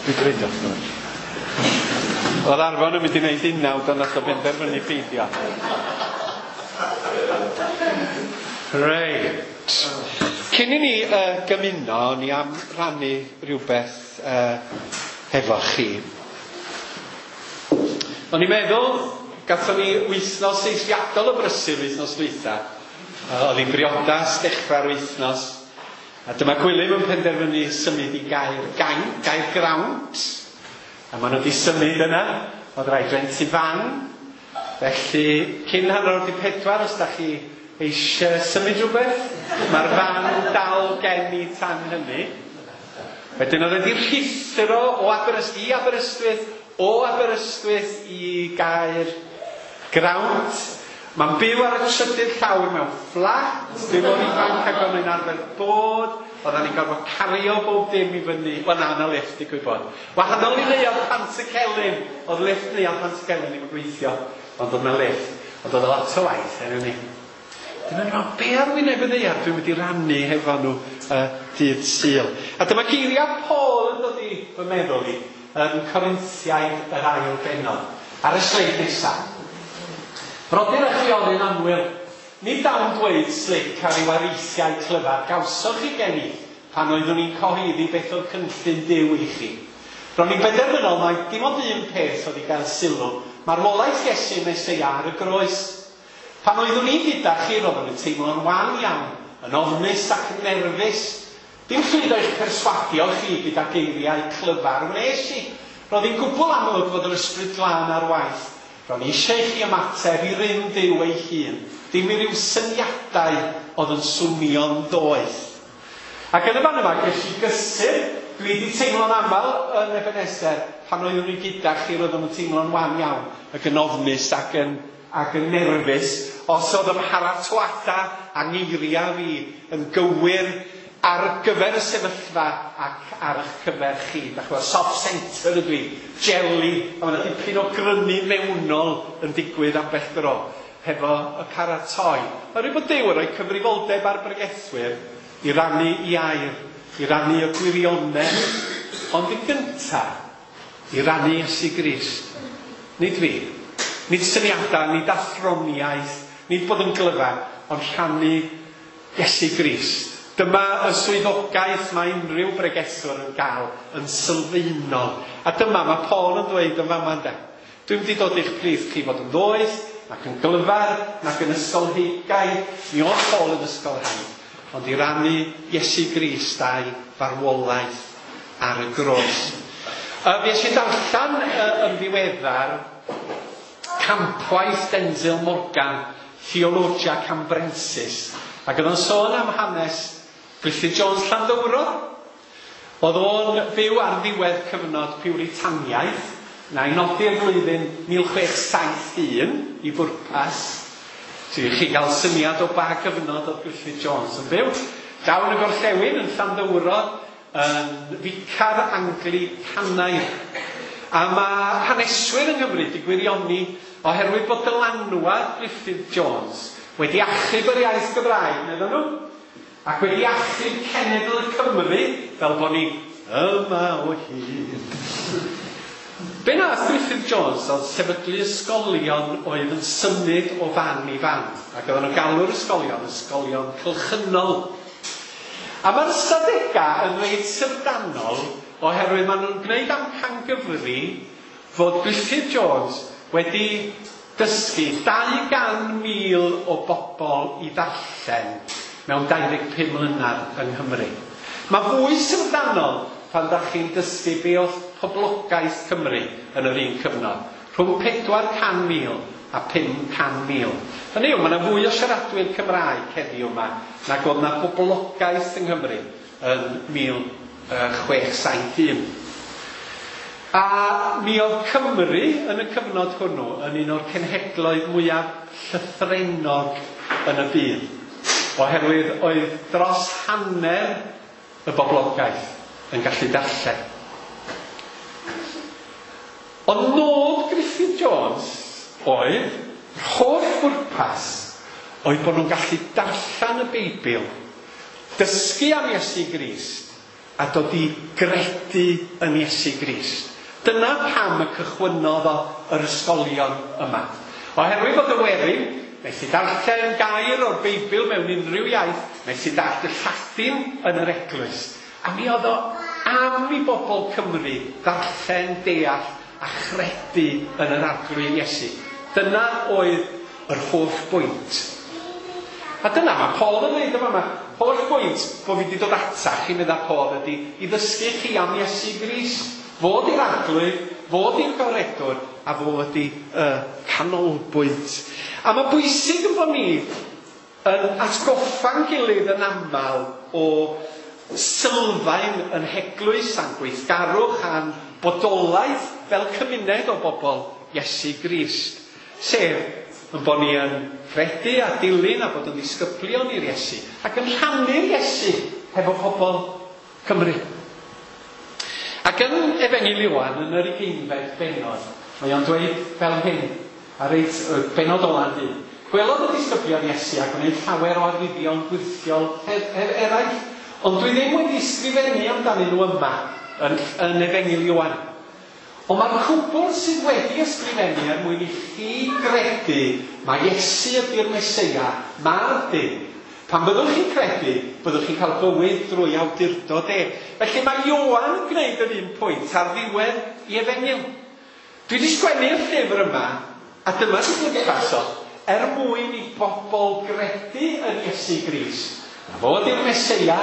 Dwi'n dweud o. Oedd Arfon yn mynd i wneud unawd, ond nath o benderfynu peidio. Reit. Cyn i ni uh, gymuno, ni am rannu rhywbeth uh, hefo chi. O'n i'n meddwl, gathon ni wythnos eithriadol o brysur wythnos dwytha. Uh, oedd hi'n briodas dechrau'r wythnos. A dyma Gwilym yn penderfynu symud i Gaer Gain, Gaer Grawnt. A maen nhw wedi symud yna. Oedd rhaid rentu fan. Felly, cyn hanner awr 'di pedwar, os da chi eisiau symud rhywbeth, mae'r fan dal gen i tan hynny. Wedyn oedd wedi rhuthro o Aberystwyth i Aberystwyth, o Aberystwyth i Gaer Grawnt. Mae'n byw ar y trydydd llawr mewn fflat, dim mor ifanc ag o'n i'n arfer bod. Oedden ni'n gorfod cario bob dim i fyny. Wel na, na lift, digwydd bod. Wahanol i Neuadd Pantycelyn. Oedd lift Neuadd Pantycelyn ddim yn gweithio, ond oedd na lift. Ond oedd lot o waith enw ni. Dyna ni'n meddwl, be ar wyneb y ddaear dwi'n mynd i rannu hefo nhw uh, dydd Sul. A dyma geiriau Paul yn dod i fy meddwl i yn Corinthiaid yr ail bennod. Ar y sleid nesaf. Brodyr a chwiorydd annwyl, nid dawn dweud slic ar ryw areithiau clyfar gawsoch chi gen i pan oeddwn i'n cyhoeddi beth oedd cynllun Duw i chi. Ro'n i'n benderfynol mai dim ond un peth oedd i gael sylw, marwolaeth Iesu Meseia ar y groes. Pan oeddwn i gyda chi, roeddwn yn teimlo'n wan iawn, yn ofnus ac yn nerfus. Dim llwyddo i'ch perswadio chi gyda geiriau clyfar wnes i. Roedd hi'n gwbl amlwg fod yr Ysbryd Glân ar waith. Ro'n i eisiau i chi ymateb i rym Duw ei hun, dim i ryw syniadau oedd yn swnio'n ddoeth. Ac yn y fan yma, ges i gysur. Dwi wedi teimlo'n aml yn Ebenezer, pan oeddwn i gyda chi, roeddwn yn teimlo'n wan iawn, ac yn ofnus ac yn, ac yn nerfus. Os oedd ymharatoada a ngeiriau fi yn gywir ar gyfer y sefyllfa ac ar eich cyfer chi. Dach chi'n gwbod, soft centre ydw i, jelly, a mae yna dipyn o grynu mewnol yn digwydd ambell dro hefo y paratoi. Mae rhaid bod Duw yn rhoi cyfrifoldeb ar bregethwyr i rannu i air, i rannu y gwirionedd, ond yn gyntaf, i rannu Iesu Grist. Nid fi, nid syniadau, nid athroniaeth, nid bod yn glyfar, ond rhannu Iesu Grist. Dyma y swyddogaeth mae unrhyw bregethwr yn gael yn sylfaenol. A dyma mae Paul yn dweud yn fama ynde. Dwi'n mynd i dod i'ch plith chi fod yn ddoeth, nac yn glyfar, nac yn ysgolheigaidd. Mi oedd Paul yn ysgolhaig, ond i rannu Iesu Grist a'i farwolaeth ar y groes. Uh, Fues i darllen uh, yn ddiweddar campwaith Denzil Morgan, Theologia Cambrensis, ac oedd o'n sôn am hanes Griffith Jones Llanddowro. Oedd o'n byw ar ddiwedd cyfnod Piwritaniaeth, na i nodi'r flwyddyn mil chwech saith un i bwrpas, so i chi gael syniad o ba gyfnod oedd Griffith Jones yn byw. Daw yn y gorllewin yn Llanddowro, yn ficar Anglicanaidd. A mae haneswyr yng Nghymru wedi gwirioni oherwydd bod dylanwad Griffith Jones wedi achub yr iaith Gymraeg, meddwn nhw, ac wedi achub cenedl y Cymru, fel bod ni yma o hyd. Be nath Griffith Jones oedd sefydlu ysgolion oedd yn symud o fan i fan, ac oedden nhw'n galw'r ysgolion ysgolion cylchynol. A mae'r ystadegau yn reit syfrdanol oherwydd maen nhw'n gwneud amcangyfri fod Griffith Jones wedi dysgu dau gan mil o bobl i ddarllen mewn dau ddeg pum mlynedd yng Nghymru. Mae fwy syfrdanol pan dach chi'n dysgu be oedd poblogaeth Cymru yn yr un cyfnod, rhwng pedwar can mil a pum can mil. Hynny yw, mae yna fwy o siaradwyr Cymraeg heddiw yma nag oedd yna boblogaeth yng Nghymru yn mil chwech saith un. A mi oedd Cymru yn y cyfnod hwnnw yn un o'r cenhedloedd mwyaf llythrennog yn y byd, oherwydd oedd dros hanner y boblogaeth yn gallu darllen. Ond nod Griffith Jones oedd, holl bwrpas, oedd bod nhw'n gallu darllen y Beibl, dysgu am Iesu Grist, a dod i gredu yn Iesu Grist. Dyna pam y cychwynnodd o yr ysgolion yma. Oherwydd bod y werin methu darllen gair o'r Beibl mewn unrhyw iaith, methu darllen y Lladin yn yr eglwys. A mi oedd o am i bobl Cymru ddarllen, deall a chredu yn yr Arglwydd Iesu. Dyna oedd yr holl bwynt. A dyna mae Paul yn dweud yma, mae holl bwynt bod fi wedi dod atach chi, medda Paul, ydy i ddysgu chi am Iesu Grist. Fod i'r Arglwydd, fod i'r Goredwr, a fod i y canolbwynt. A mae bwysig yn bod ni yn atgoffa'n gilydd yn aml o sylfaen yn heglwys a'n gweithgarwch a'n bodolaeth fel cymuned o bobl Iesu Grist. Sef yn bod ni yn credu a dilyn a bod yn ddisgyblion i'r Iesu ac yn rhannu'r Iesu hefo pobl Cymru. Ac yn Efengyl Ioan, yn yr ugeinfed bennod, mae o'n dweud fel hyn, ar reit bennod ola'n dyn. Gwelodd y disgyblion Iesu a gwneud llawer o arwyddion gwyrthiol er, er, eraill, ond dwi ddim wedi ysgrifennu amdanyn nhw yma yn, yn Efengyl Ioan. Ond mae'r cwbl sydd wedi ysgrifennu er mwyn i chi gredu mae Iesu ydy'r Meseia, mab Duw. Pan byddwch chi'n credu, byddwch chi'n cael bywyd drwy awdurdod e. Felly mae Ioan yn gwneud yr un pwynt ar ddiwedd i Efengyl. Dwi wedi sgwennu'r llyfr yma, a dyma sy'n bwrpas o, er mwyn i bobl gredu yn Iesu Grist. Na fod i'r Meseia,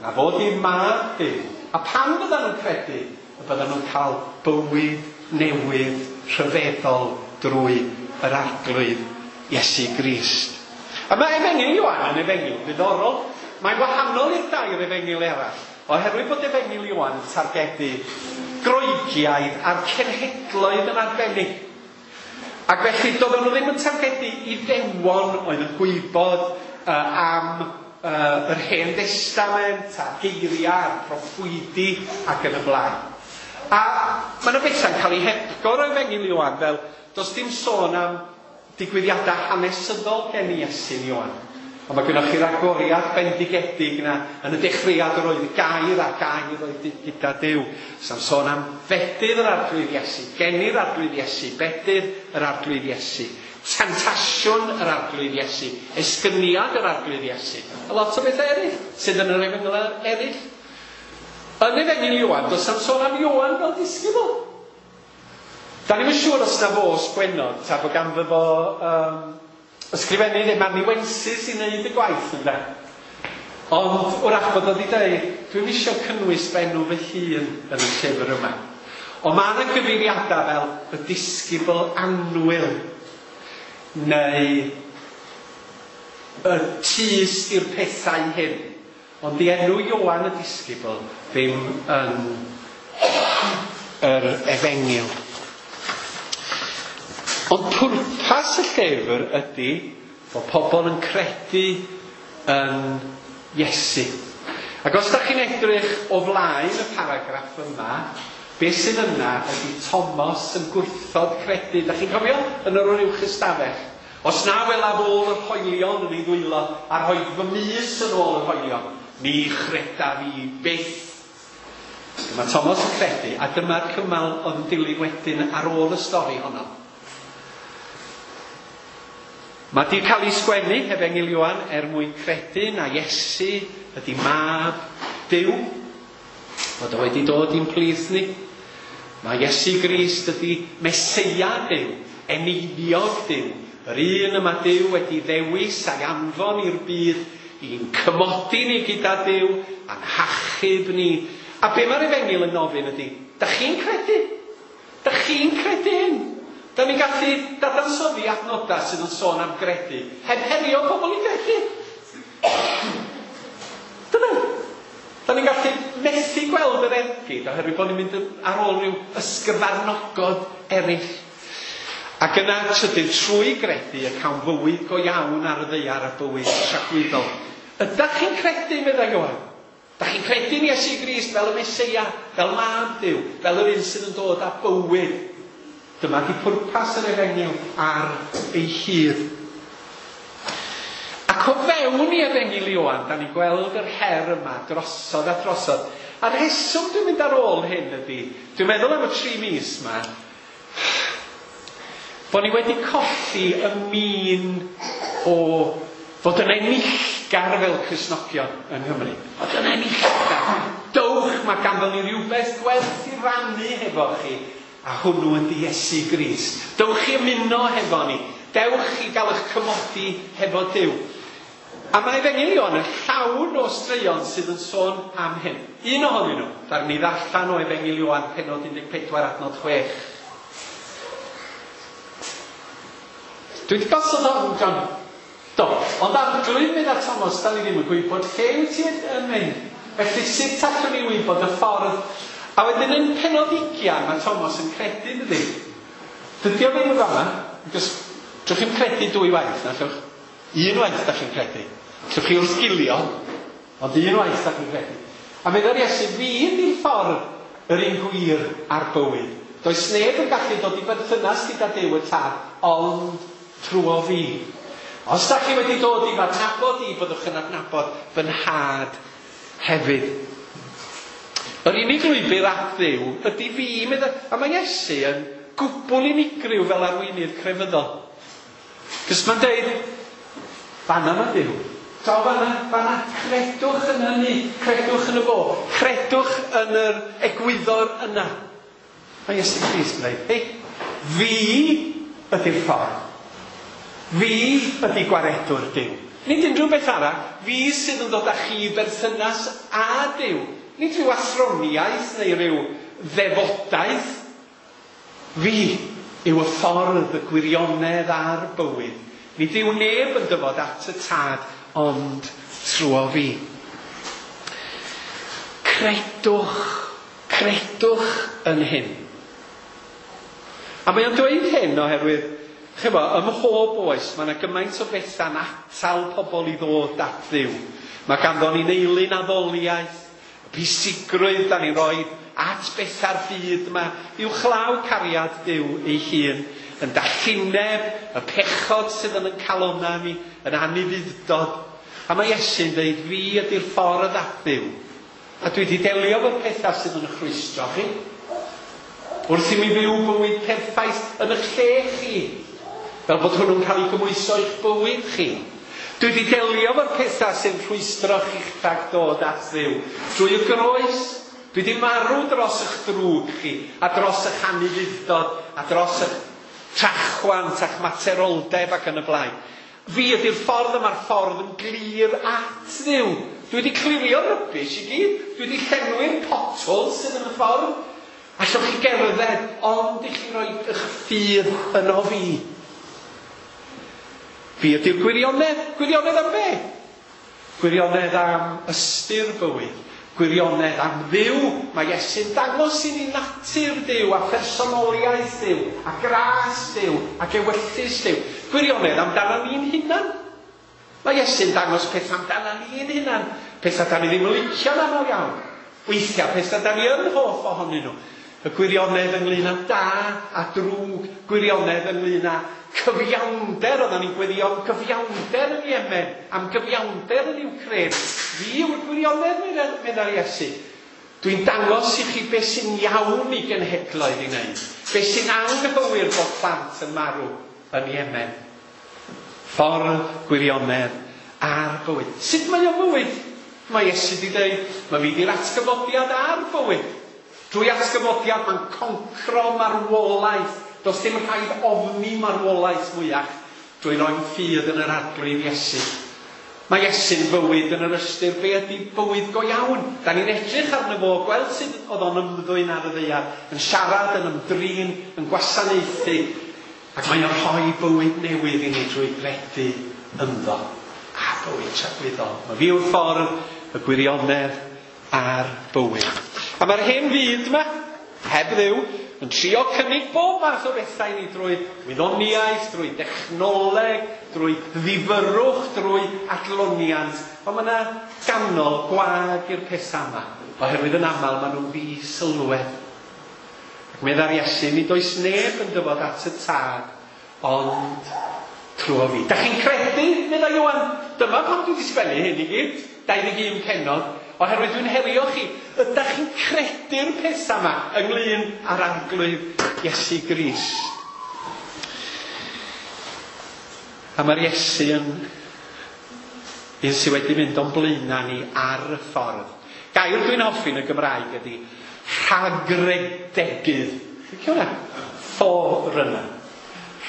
na fod i'r mab Duw. A pan byddan nhw'n credu, y byddan nhw'n cael bywyd newydd rhyfeddol drwy yr Arglwydd Iesu Grist. A mae Efengyl Ioan yn efengyl ddiddorol. Mae'n wahanol i'r dair efengyl eraill, oherwydd bod Efengyl Ioan yn targedu Groegiaid a'r cenhedloedd yn arbennig. Ac felly doedden nhw ddim yn targedu Iddewon oedd yn gwybod uh, am uh, yr Hen Destament a'r geiriau a'r proffwydi ac yn y blaen. A mae yna bethau'n cael ei hepgor o Efengyl Ioan, fel does dim sôn am digwyddiadau hanesyddol gen Iesu Ioan. Ond mae gennych chi'r agoriad bendigedig yna yn y dechreuad yr oedd gair a gair oedd gyda Duw. Sa'n sôn am fedydd yr Arglwydd Iesu, geni'r Arglwydd Iesu, bedydd yr Arglwydd Iesu, temtasiwn yr Arglwydd Iesu, esgyniad yr Arglwydd Iesu, a lot o bethau eraill sydd yn yr efengyl eraill. Yn Efengyl Ioan, does am sôn am Ioan fel disgybl. Da ni'm yn siŵr os na fo sgwennodd, ta bod ganddo fo um, ysgrifennu neu amanuensis i wneud y gwaith ynde. Ond wrach bod o wedi dweud, dwi'm isio cynnwys fy enw fy hun yn y llyfr yma. Ond mae yna gyfeiriadau fel y disgybl annwyl, neu y tyst i'r pethau hyn. Ond di enw Ioan y disgybl ddim yn yr efengyl. Ond pwrpas y llyfr ydy bod pobl yn credu yn Iesu. Ac os da chi'n edrych o flaen y paragraff yma, beth sydd yna ydy Thomas yn gwrthod credu. Da chi'n cofio? Yn yr uwch ystafell. Os na welaf ôl yr hoelion yn ei ddwylo, a rhoi fy mys yn ôl yr hoelion, ni chredaf i byth. Dyma Thomas yn credu, a dyma'r cymal oedd yn dilyn wedyn ar ôl y stori honno. Mae di cael ei sgwennu Efengyl Ioan er mwyn credu na Iesu ydy mab Duw, bod o wedi dod i'n plith ni. Mae Iesu Grist ydy Meseia Duw, eneiniog Duw, yr un yma Duw wedi ddewis a'i anfon i'r byd i'n cymodi ni gyda Duw a'n hachub ni. A be mae'r Efengyl yn ofyn ydy, da chi'n credu? Da chi'n credu hyn? Da ni'n gallu dadansoddi adnodau sydd yn sôn am gredu, heb herio pobl i gredu. Dyna. Da ni'n gallu methu gweld yr ergyd oherwydd bod ni'n mynd ar ôl rhyw ysgyfarnogod eraill. Ac yna trydydd, trwy gredu y cawn fywyd go iawn ar y ddaear a bywyd tragwyddol. Ydach chi'n credu, meddai Ioan? Dach chi'n credu yn Iesu Grist fel y Meseia, fel mab Duw, fel yr un sydd yn dod â bywyd? Dyma di pwrpas yr efengyl ar ei hyd. Ac o fewn i Efengyl Ioan, da ni'n gweld yr her yma drosodd a drosodd. A'r rheswm dwi'n mynd ar ôl hyn ydy, dwi'n meddwl am y tri mis yma, bod ni wedi colli y min o fod yn enillgar fel Cristnogion yng Nghymru. Fod yn enillgar. Dowch, mae ganddo ni rhywbeth gwerth i rannu hefo chi, a hwnnw ydy Iesu Grist. Dowch i ymuno hefo ni. Dewch i gael eich cymodi hefo Duw. A mae Efengyl Ioan yn llawn o straeon sydd yn sôn am hyn. Un ohonyn nhw, ddaru ni ddarllen o Efengyl Ioan pennod un deg pedwar adnod chwech. Dwi wedi gosod hwn, John. Do, ond Arglwydd, medda Thomas, da ni ddim yn gwybod lle wyt ti yn mynd. Felly sut allwn ni wybod y ffordd? A wedyn yn pennod ugian, mae Thomas yn credu, dydy? Dydy o ddim yn fama, achos drwch chi'n credu dwy waith, na allwch? Un waith da chi'n credu. Allwch chi wrthgilio, ond un waith da chi'n credu. A medda'r Iesu, fi ydy'r ffordd yr un gwir a'r bywyd. Does neb yn gallu dod i berthynas gyda Duw y Tad, ond trwy fi. Os da chi wedi dod i fy adnabod i, byddwch yn adnabod fy nhad hefyd. Yr unig lwybr at Dduw ydy fi, medda, a mae Iesu yn gwbl unigryw fel arweinydd crefyddol. Cos mae'n deud, fanna mae Duw. Draw fanna, fanna, credwch yn hynny, credwch yn y fo, credwch yn yr egwyddor yna. Mae Iesu Grist yn dweud, hei, fi ydy'r ffordd. Fi ydy gwaredwr Duw. Nid unrhyw beth arall, fi sydd yn dod â chi i berthynas â Duw. Nid rhyw athroniaeth neu rhyw ddefodaeth. Fi yw y ffordd, y gwirionedd a'r bywyd. Nid yw neb yn dyfod at y Tad, ond trwy fi. Credwch, credwch yn hyn. A mae o'n dweud hyn oherwydd, chyfo, ym mhob oes, mae yna gymaint o bethau'n atal pobl i ddod at Dduw. Mae ganddo ni'n eilun addoliaeth, pwysigrwydd da ni'n rhoi at bethau'r byd yma, uwchlaw cariad Duw ei hun, yn dallineb, y pechod sydd yn ein calonnau ni, yn anufudd-dod. A mae Iesu'n dweud, fi ydy'r ffordd at Dduw. A dwi wedi delio efo'r pethau sydd yn eich rhwystro chi. Wrth i mi fyw bywyd perffaith yn eich lle chi, fel bod hwnnw'n cael ei gymhwyso i'ch bywyd chi. Dwi wedi delio efo'r pethau sy'n rhwystro chi rhag dod at Dduw. Drwy y groes, dwi wedi marw dros eich drwg chi, a dros eich anufudd-dod, a dros eich trachwant a'ch materoldeb ac yn y blaen. Fi ydy'r ffordd yma'r ffordd yn glir at Dduw. Dwi wedi clirio'r rubbish i gyd. Dwi wedi llenwi'r potholes sydd yn y ffordd. Allwch chi gerdded, ond i chi roi eich ffydd yno fi. Fi ydy'r gwirionedd. Gwirionedd am be? Gwirionedd am ystyr bywyd. Gwirionedd am Dduw. Mae Iesu'n dangos i ni natur Duw a personoliaeth Duw a gras Duw ac ewyllys Duw. Gwirionedd amdano ni'n hunan. Mae Iesu'n dangos pethau amdano ni'n hunan. Pethau da ni ddim yn licio'n aml iawn. Weithiau pethau da ni yn hoff ohonyn nhw. Y gwirionedd ynglyn â da a drwg, gwirionedd ynglyn â cyfiawnder, oedden ni'n gweddio am gyfiawnder yn Yemen, am gyfiawnder yn Ukraine. Fi yw'r gwirionedd, meddai Iesu. Dwi'n dangos i chi beth sy'n iawn i genhedloedd i wneud, beth sy'n anghywir bod plant yn marw yn Yemen. Ffordd, gwirionedd a'r bywyd. Sut mae o'n fywyd? Mae Iesu wedi dweud, mae fi di'r atgyfodiad a'r bywyd. Drwy atgyfodiad mae'n concro marwolaeth. Does dim rhaid ofni marwolaeth mwyach drwy roi'n ffydd yn yr Arglwydd Iesu. Mae Iesu'n fywyd yn yr ystyr be ydy bywyd go iawn. Da ni'n edrych arno fo, gweld sut oedd o'n ymddwyn ar y ddaear, yn siarad, yn ymdrin, yn gwasanaethu, ac mae o'n rhoi bywyd newydd i ni drwy gredu ynddo. A bywyd tragwyddol. Mae fi yw'r ffordd, y gwirionedd a'r bywyd. A mae'r hen fyd yma, heb Dduw, yn trio cynnig bob math o bethau i ni drwy wyddoniaeth, drwy dechnoleg, drwy ddifyrrwch, drwy adloniant. Ond mae yna ganol gwag i'r pethau yma, oherwydd yn aml maen nhw'n ddi-sylwedd. Ac meddai'r Iesu, nid oes neb yn dyfod at y Tad, ond trwy fi. Da chi'n credu, meddai Ioan? Dyma pam dwi wedi sgwennu hyn i gyd, dau ddeg un pennod. Oherwydd dwi'n herio chi, ydych chi'n credu'r pethau yma ynglyn â'r Arglwydd Iesu Grist? A mae'r Iesu yn un sydd wedi mynd o'n blaenau ni ar y ffordd. Gair dwi'n hoffi yn y Gymraeg ydy rhagredegydd. Licio hwnna? Forerunner.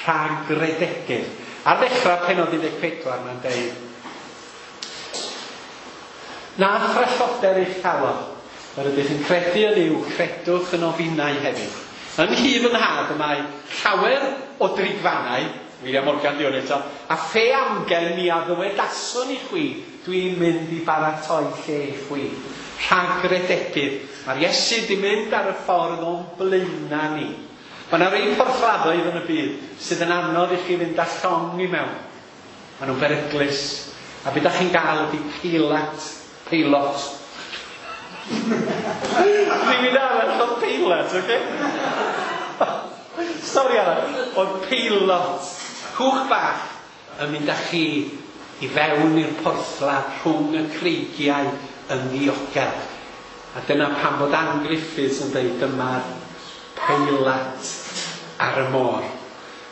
Rhagredegydd. Ar ddechrau penod un deg pedwar mae'n deud, na thralloder eich calon, yr ydych yn credu yn Nuw, credwch yn ofinau hefyd. Yn nhŷ fy nhad y mae llawer o drigfannau, William Morgan di hwn eto, a phe amgen mi a ddywedaswn i chwi, dwi'n mynd i baratoi lle i chwi. Rhagredegydd. Mae'r Iesu di mynd ar y ffordd o'n blaenau ni. Mae yna rei porthladdoedd yn y byd sydd yn anodd i chi fynd â llong i mewn. Maen nhw'n beryglus. A be da chi'n gael ydy peilot. Peilot. Rhywun arall oedd peilot, oce? Stori arall. Oedd peilot. Cwch bach yn mynd â chi i fewn i'r porthladd rhwng y creigiau yn ddiogel. A dyna pam bod Ann Griffiths yn dweud dyma'r peilot ar y môr.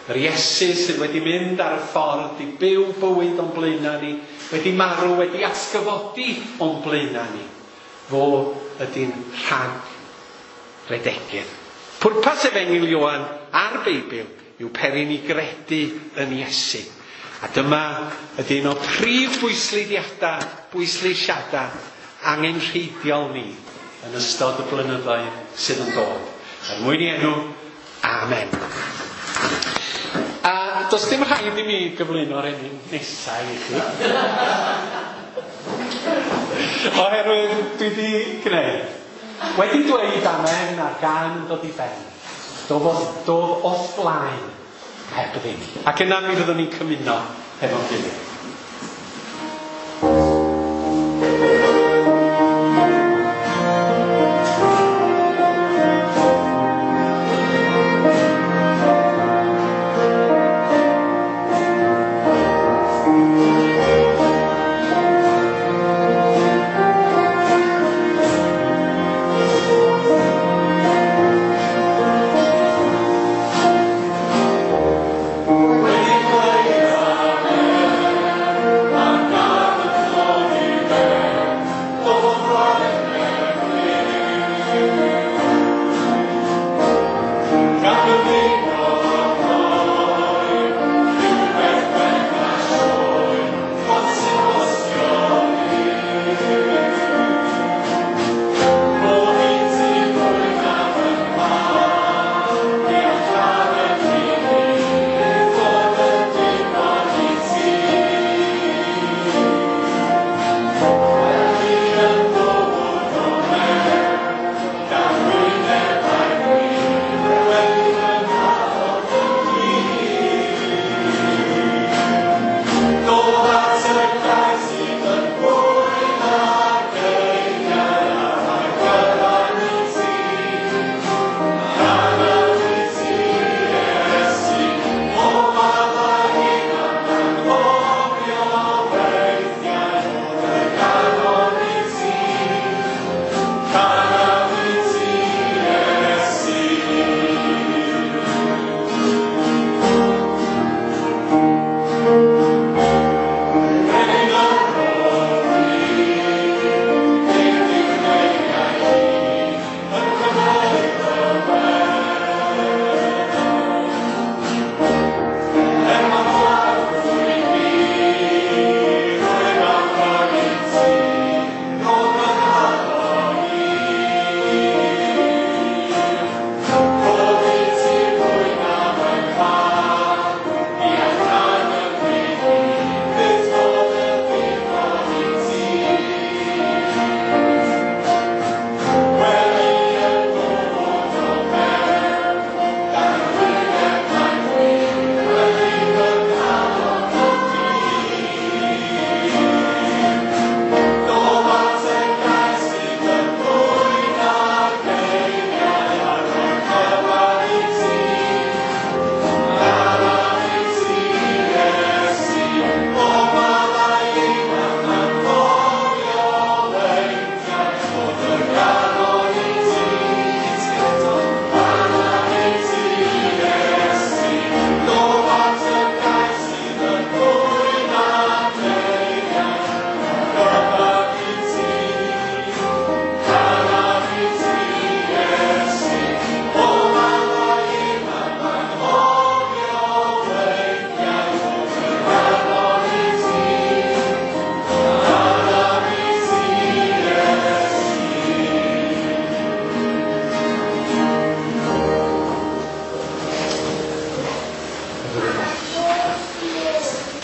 Yr Iesu sydd wedi mynd ar y ffordd i byw bywyd o'n blaenau ni, wedi marw, wedi atgyfodi o'n blaenau ni. Fo ydy'n rhagredegydd. Pwrpas Efengyl Ioan a'r Beibl yw peri ni gredu yn Iesu. A dyma ydy un o prif bwysleisiadau, bwysleisiadau angenrheidiol ni yn ystod y blynyddoedd sydd yn dod. Er mwyn i enw, amen. A does dim rhaid i mi gyflwyno'r enw nesaf i chi. Oherwydd dwi wedi gwneud. Wedi dweud amen a'r gan yn dod i ben. Dof, dof o'th blaen heb ddim. Ac yna mi fyddwn ni'n cymuno hefo'n gilydd. Wedi dweud amen.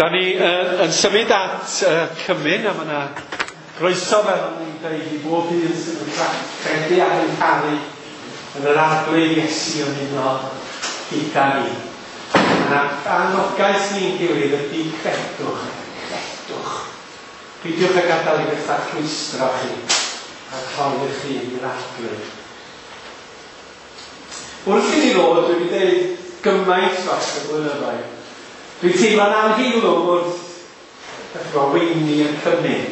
Da ni uh, yn symud at uh, cymun, a mae yna groeso fel o'n i'n dweud i bob un sydd yn credu ac yn caru yn yr Arglwydd Iesu ymuno gyda ni. Yna anogaeth ni'n gilydd ydy credwch, credwch. Peidiwch â gadael i bethau rhwystro chi a rhoi chi i'r Arglwydd. Wrth i ni ddod, dwi wedi dweud gymaint dros y blynyddoedd. Dwi'n teimlo'n anheilwng wrth ddechrau weini yn cymun,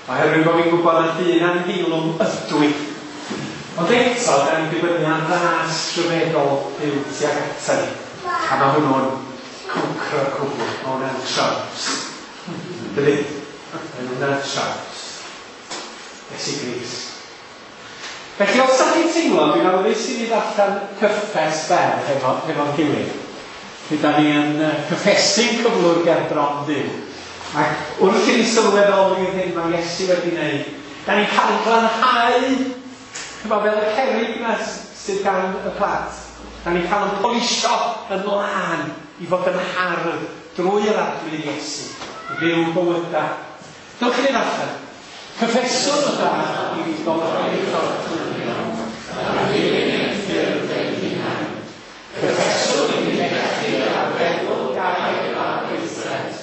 oherwydd bod fi'n gwybod na dyn anheilwng ydw i. Ond eto, da ni'n dibynnu ar ras rhyfeddol Duw tuag ata ni. A mae hwnnw'n concro'r cwbl, mae hwnna'n traws. Dydy? Mae hwnna'n traws. Iesu Grist. Felly, os da chi'n teimlo, dwi'n awyddus i ni ddarllen cyffes fer efo, efo'n gilydd. Lle da ni yn cyffesu'n cyflwr ger bron Dduw. Ac wrth i ni sylweddoli'r hyn mae Iesu wedi wneud, da ni'n cael ein glanhau, chyfo, fel y cerrig yna sydd gan y plant. Da ni'n cael ein polisio yn lân i fod yn hardd drwy yr Arglwydd Iesu, i fyw bywydau. Dewch i ni ddarllen. Cyffeswn o da i fi golchi ffordd a dilyn ein ffyrdd ein hunain. Cyffeswn i ni fethu ar feddwl gair a gweithred.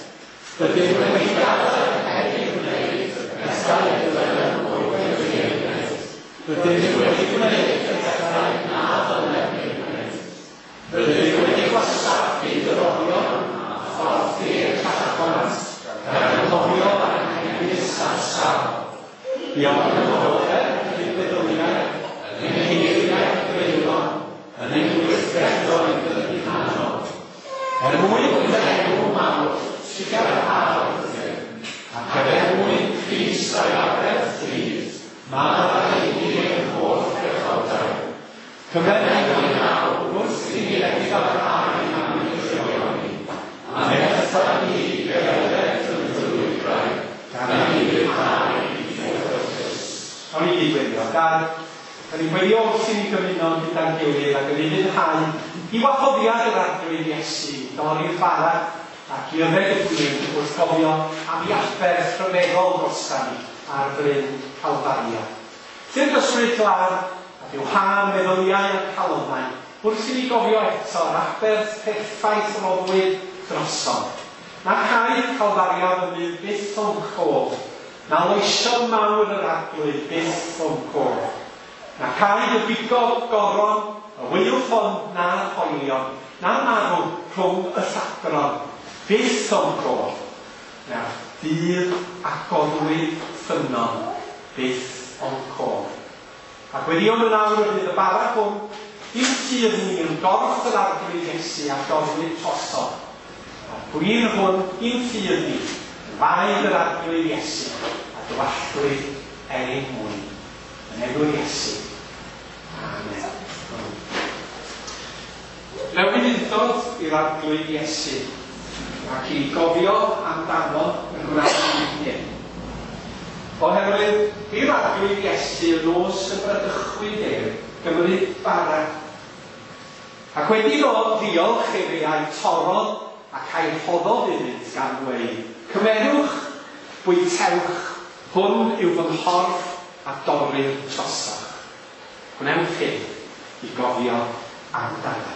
Rydym wedi gadael heb ei wneud pethau y dylem fod wedi ei wneud. Rydym wedi gwneud pethau na ddylem ei wneud. Rydym wedi gwastraffu dyddorion a fforddi'r cachwant gan anghofio anghenius a sâl. Buom yn ofer yn ein meddyliau, yn ein geiriau creulon, yn ein gweithredoedd hunanol. Er mwyn dy enw mawr, trugarha wrthym, ac er mwyn Crist a'i aberth rhydd, maddau i ni ein holl bechodau. Cymer ni nawr wrth i ni edifarhau am ein drygioni, a nertha ni i gerdded yn dy lwybrau, gan i ni ufuddhau i dy ewyllys. Awn ni gyd weddio. Dad, da ni'n gweddio wrth i ni gymuno gyda'n gilydd ac yn ufuddhau i wahoddiad yr Arglwydd Iesu i dorri'r bara ac i yfed y gwin wrth gofio am ei aberth rhyfeddol drosta ni ar fryn Calfaria. Tyrd ysbryd glân a bywhâ meddyliau a'n calonnau wrth i ni gofio eto yr aberth perffaith roddwyd drosom. Na chaeth Calfaria fyny byth o'n cof, na loesion mawr yr Arglwydd byth o'n cof. Na caed y bigog goron, y waywffon na'r hoelion, na marw rhwng y lladron, byth o'n cof. Na'r dydd agorwyd ffynnon, byth o'n cof. Ac weddïwn yn awr y bydd y bara hwn i'n ffydd ni yn gorff yr Arglwydd Iesu a dorrwyd drosodd. A'r gwin hwn i'n ffydd ni yn waed yr Arglwydd Iesu a dywalltwyd er ein mwyn. Yn enw'r Iesu. Amen. Mewn ufudd-dod i'r Arglwydd Iesu ac i gofio amdano yn gwneud hyn. Oherwydd i'r Arglwydd Iesu y nos y bradychwyd ef gymryd bara. Ac wedi iddo ddiolch efe a'i torrodd ac a'i rhoddodd iddynt gan ddweud, cymerwch, bwytewch, hwn yw fy nghorff a dorrir drosoch. Gwnewch hyn i gofio amdano.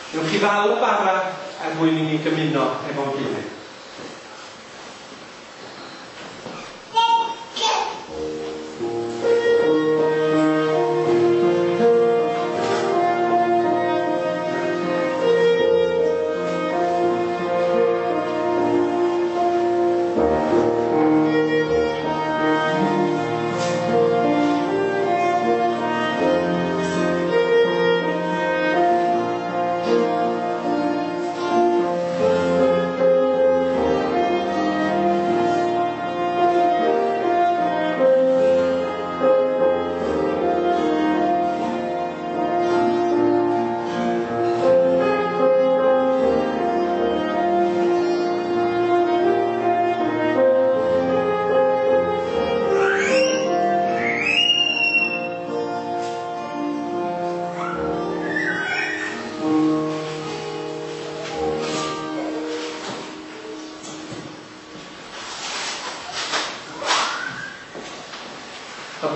Newch chi ddal y bara er mwyn i ni gymuno efo'n gilydd. Thank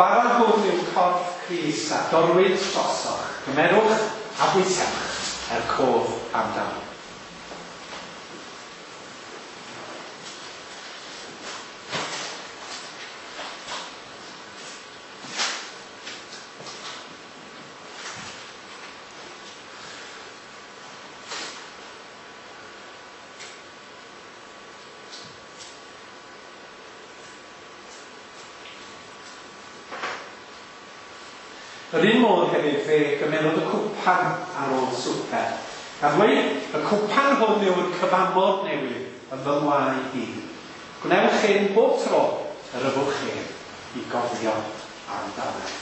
bara hwn yw corff Crist a dorwyd drosoch. Cymerwch a bwytewch er cof amdano. Yr un modd hefyd fe gymerodd y cwpan ar ôl swper. Gan ddweud, y cwpan hwn yw'r cyfamod newydd yn fy ngwaed i. Gwnewch hyn bob tro yr yfwch ef i gofio amdano.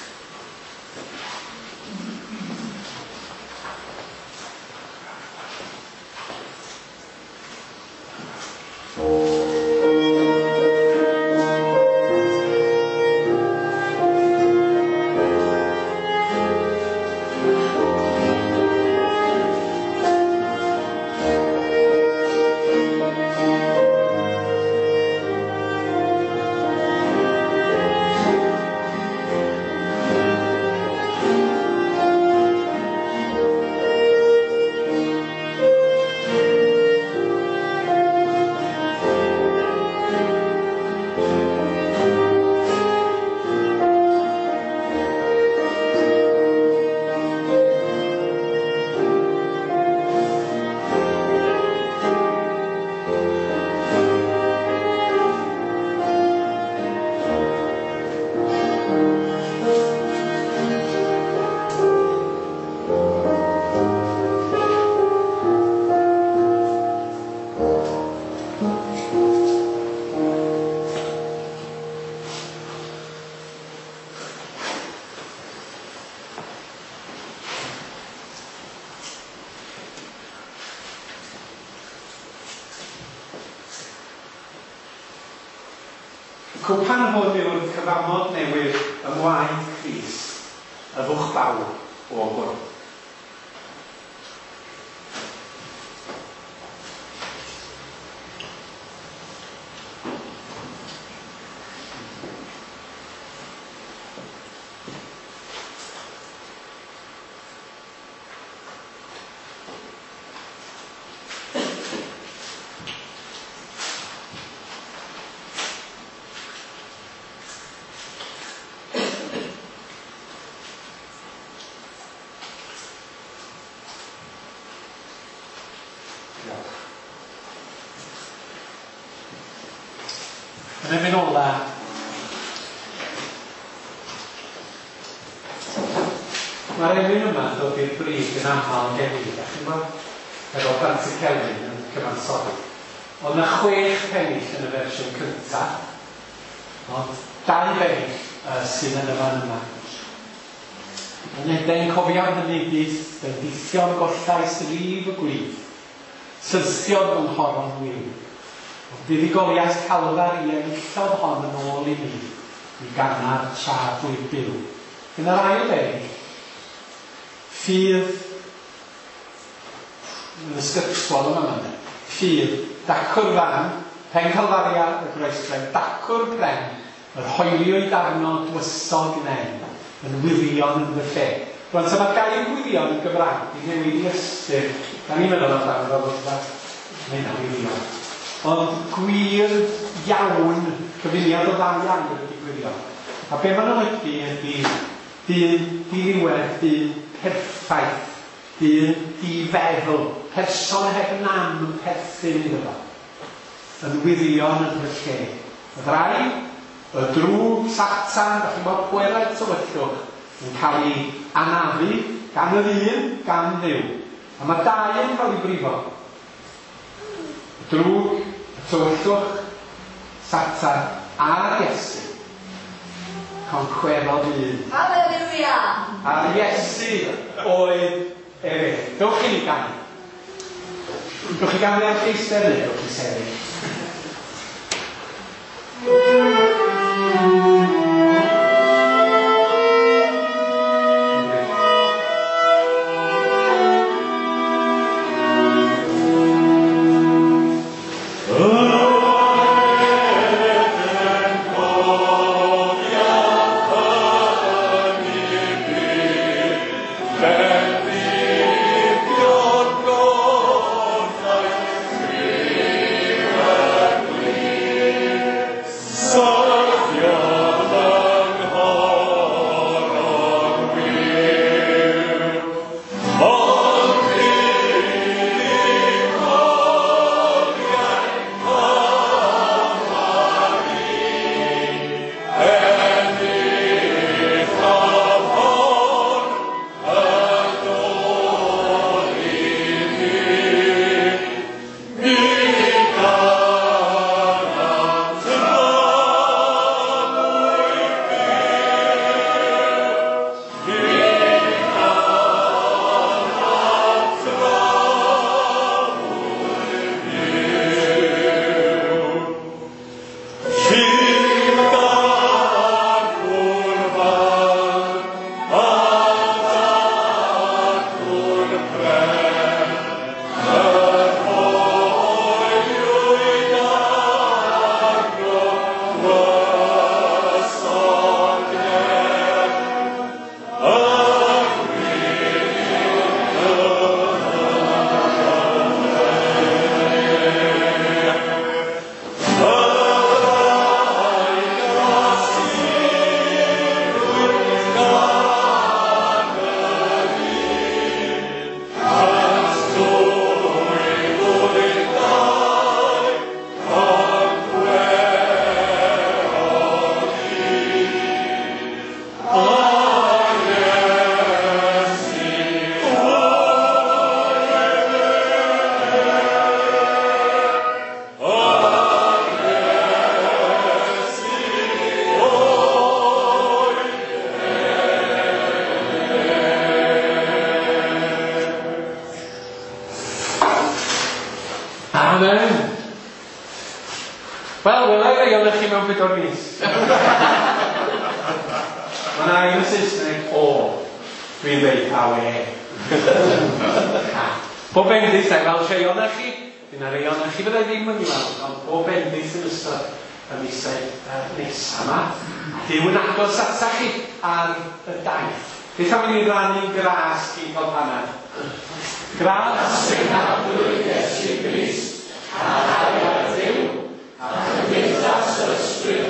Cwpan hwn yw'r cyfamod newydd yng ngwaed Crist, yfwch bawb o hwn. Yn emyn ola, mae'r emyn yma yn dod i'r brig yn aml gen i, da chi'n gweld? Efo Pantycelyn yn cyfansoddi. Ond na chwech pennill yn y fersiwn cyntaf, ond dau bennill uh, sydd yn y fan yma. Yn Eden cofiaf hynny byth, bendithion gollais lif y gwlith, syrthiodd fy nghoron wiw. Buddugoliaeth Calfar i enillodd hon yn ôl i mi, i ganar tra dwy byw. Yn yr ail bennill, ffydd, yn ysgytwol yma yma, ffydd, dacw'r fan, pen Calfaria y groesbren, dacw'r pren, yr hoeliwyd arno dwysog nen, yn wirion yn fy lle. Rwan, so mae'r gair gwirion yn Gymraeg i newid i ystyr. Da ni'n meddwl amdano fel bod mae hynna'n wirion. Ond gwir iawn, cyfuniad o ddau air ydy gwirion. A be ma'n olygu ydy dyn diniwed, dyn perffaith, dyn difeddwl, person heb nam yn perthyn iddo fo, yn wirion yn fy lle. Y ddau, y drwg, Satan, da chi'n gwybod, pwerau tywyllwch, yn cael ei anafu gan yr un, gan Dduw. A mae dau yn cael ei brifo. Y drwg, y tywyllwch, Satan a'r Iesu. Concwerodd un. Hallelujah! A'r Iesu oedd efe. Dewch i ni ganu. Dewch i ganu ar eistedd neu dewch i sefyll. Oh, Amen. Wel, wela i rei ohonoch chi mewn pedwar mis. Mae yna un yn Saesneg, o. Dwi'n dweud awe. Pob bendith, na i weld rhai ohonoch chi. Fydd yna rhai ohonoch chi fydda i ddim yn gweld, ond pob bendith yn ystod y misoedd uh, nesaf yma. Duw yn agos atach chi ar y daith. Beth am i ni rannu gras cyn cael panad? Gras ein Harglwydd Iesu Grist, a chariad Duw, a chymdeithas yr Ysbryd.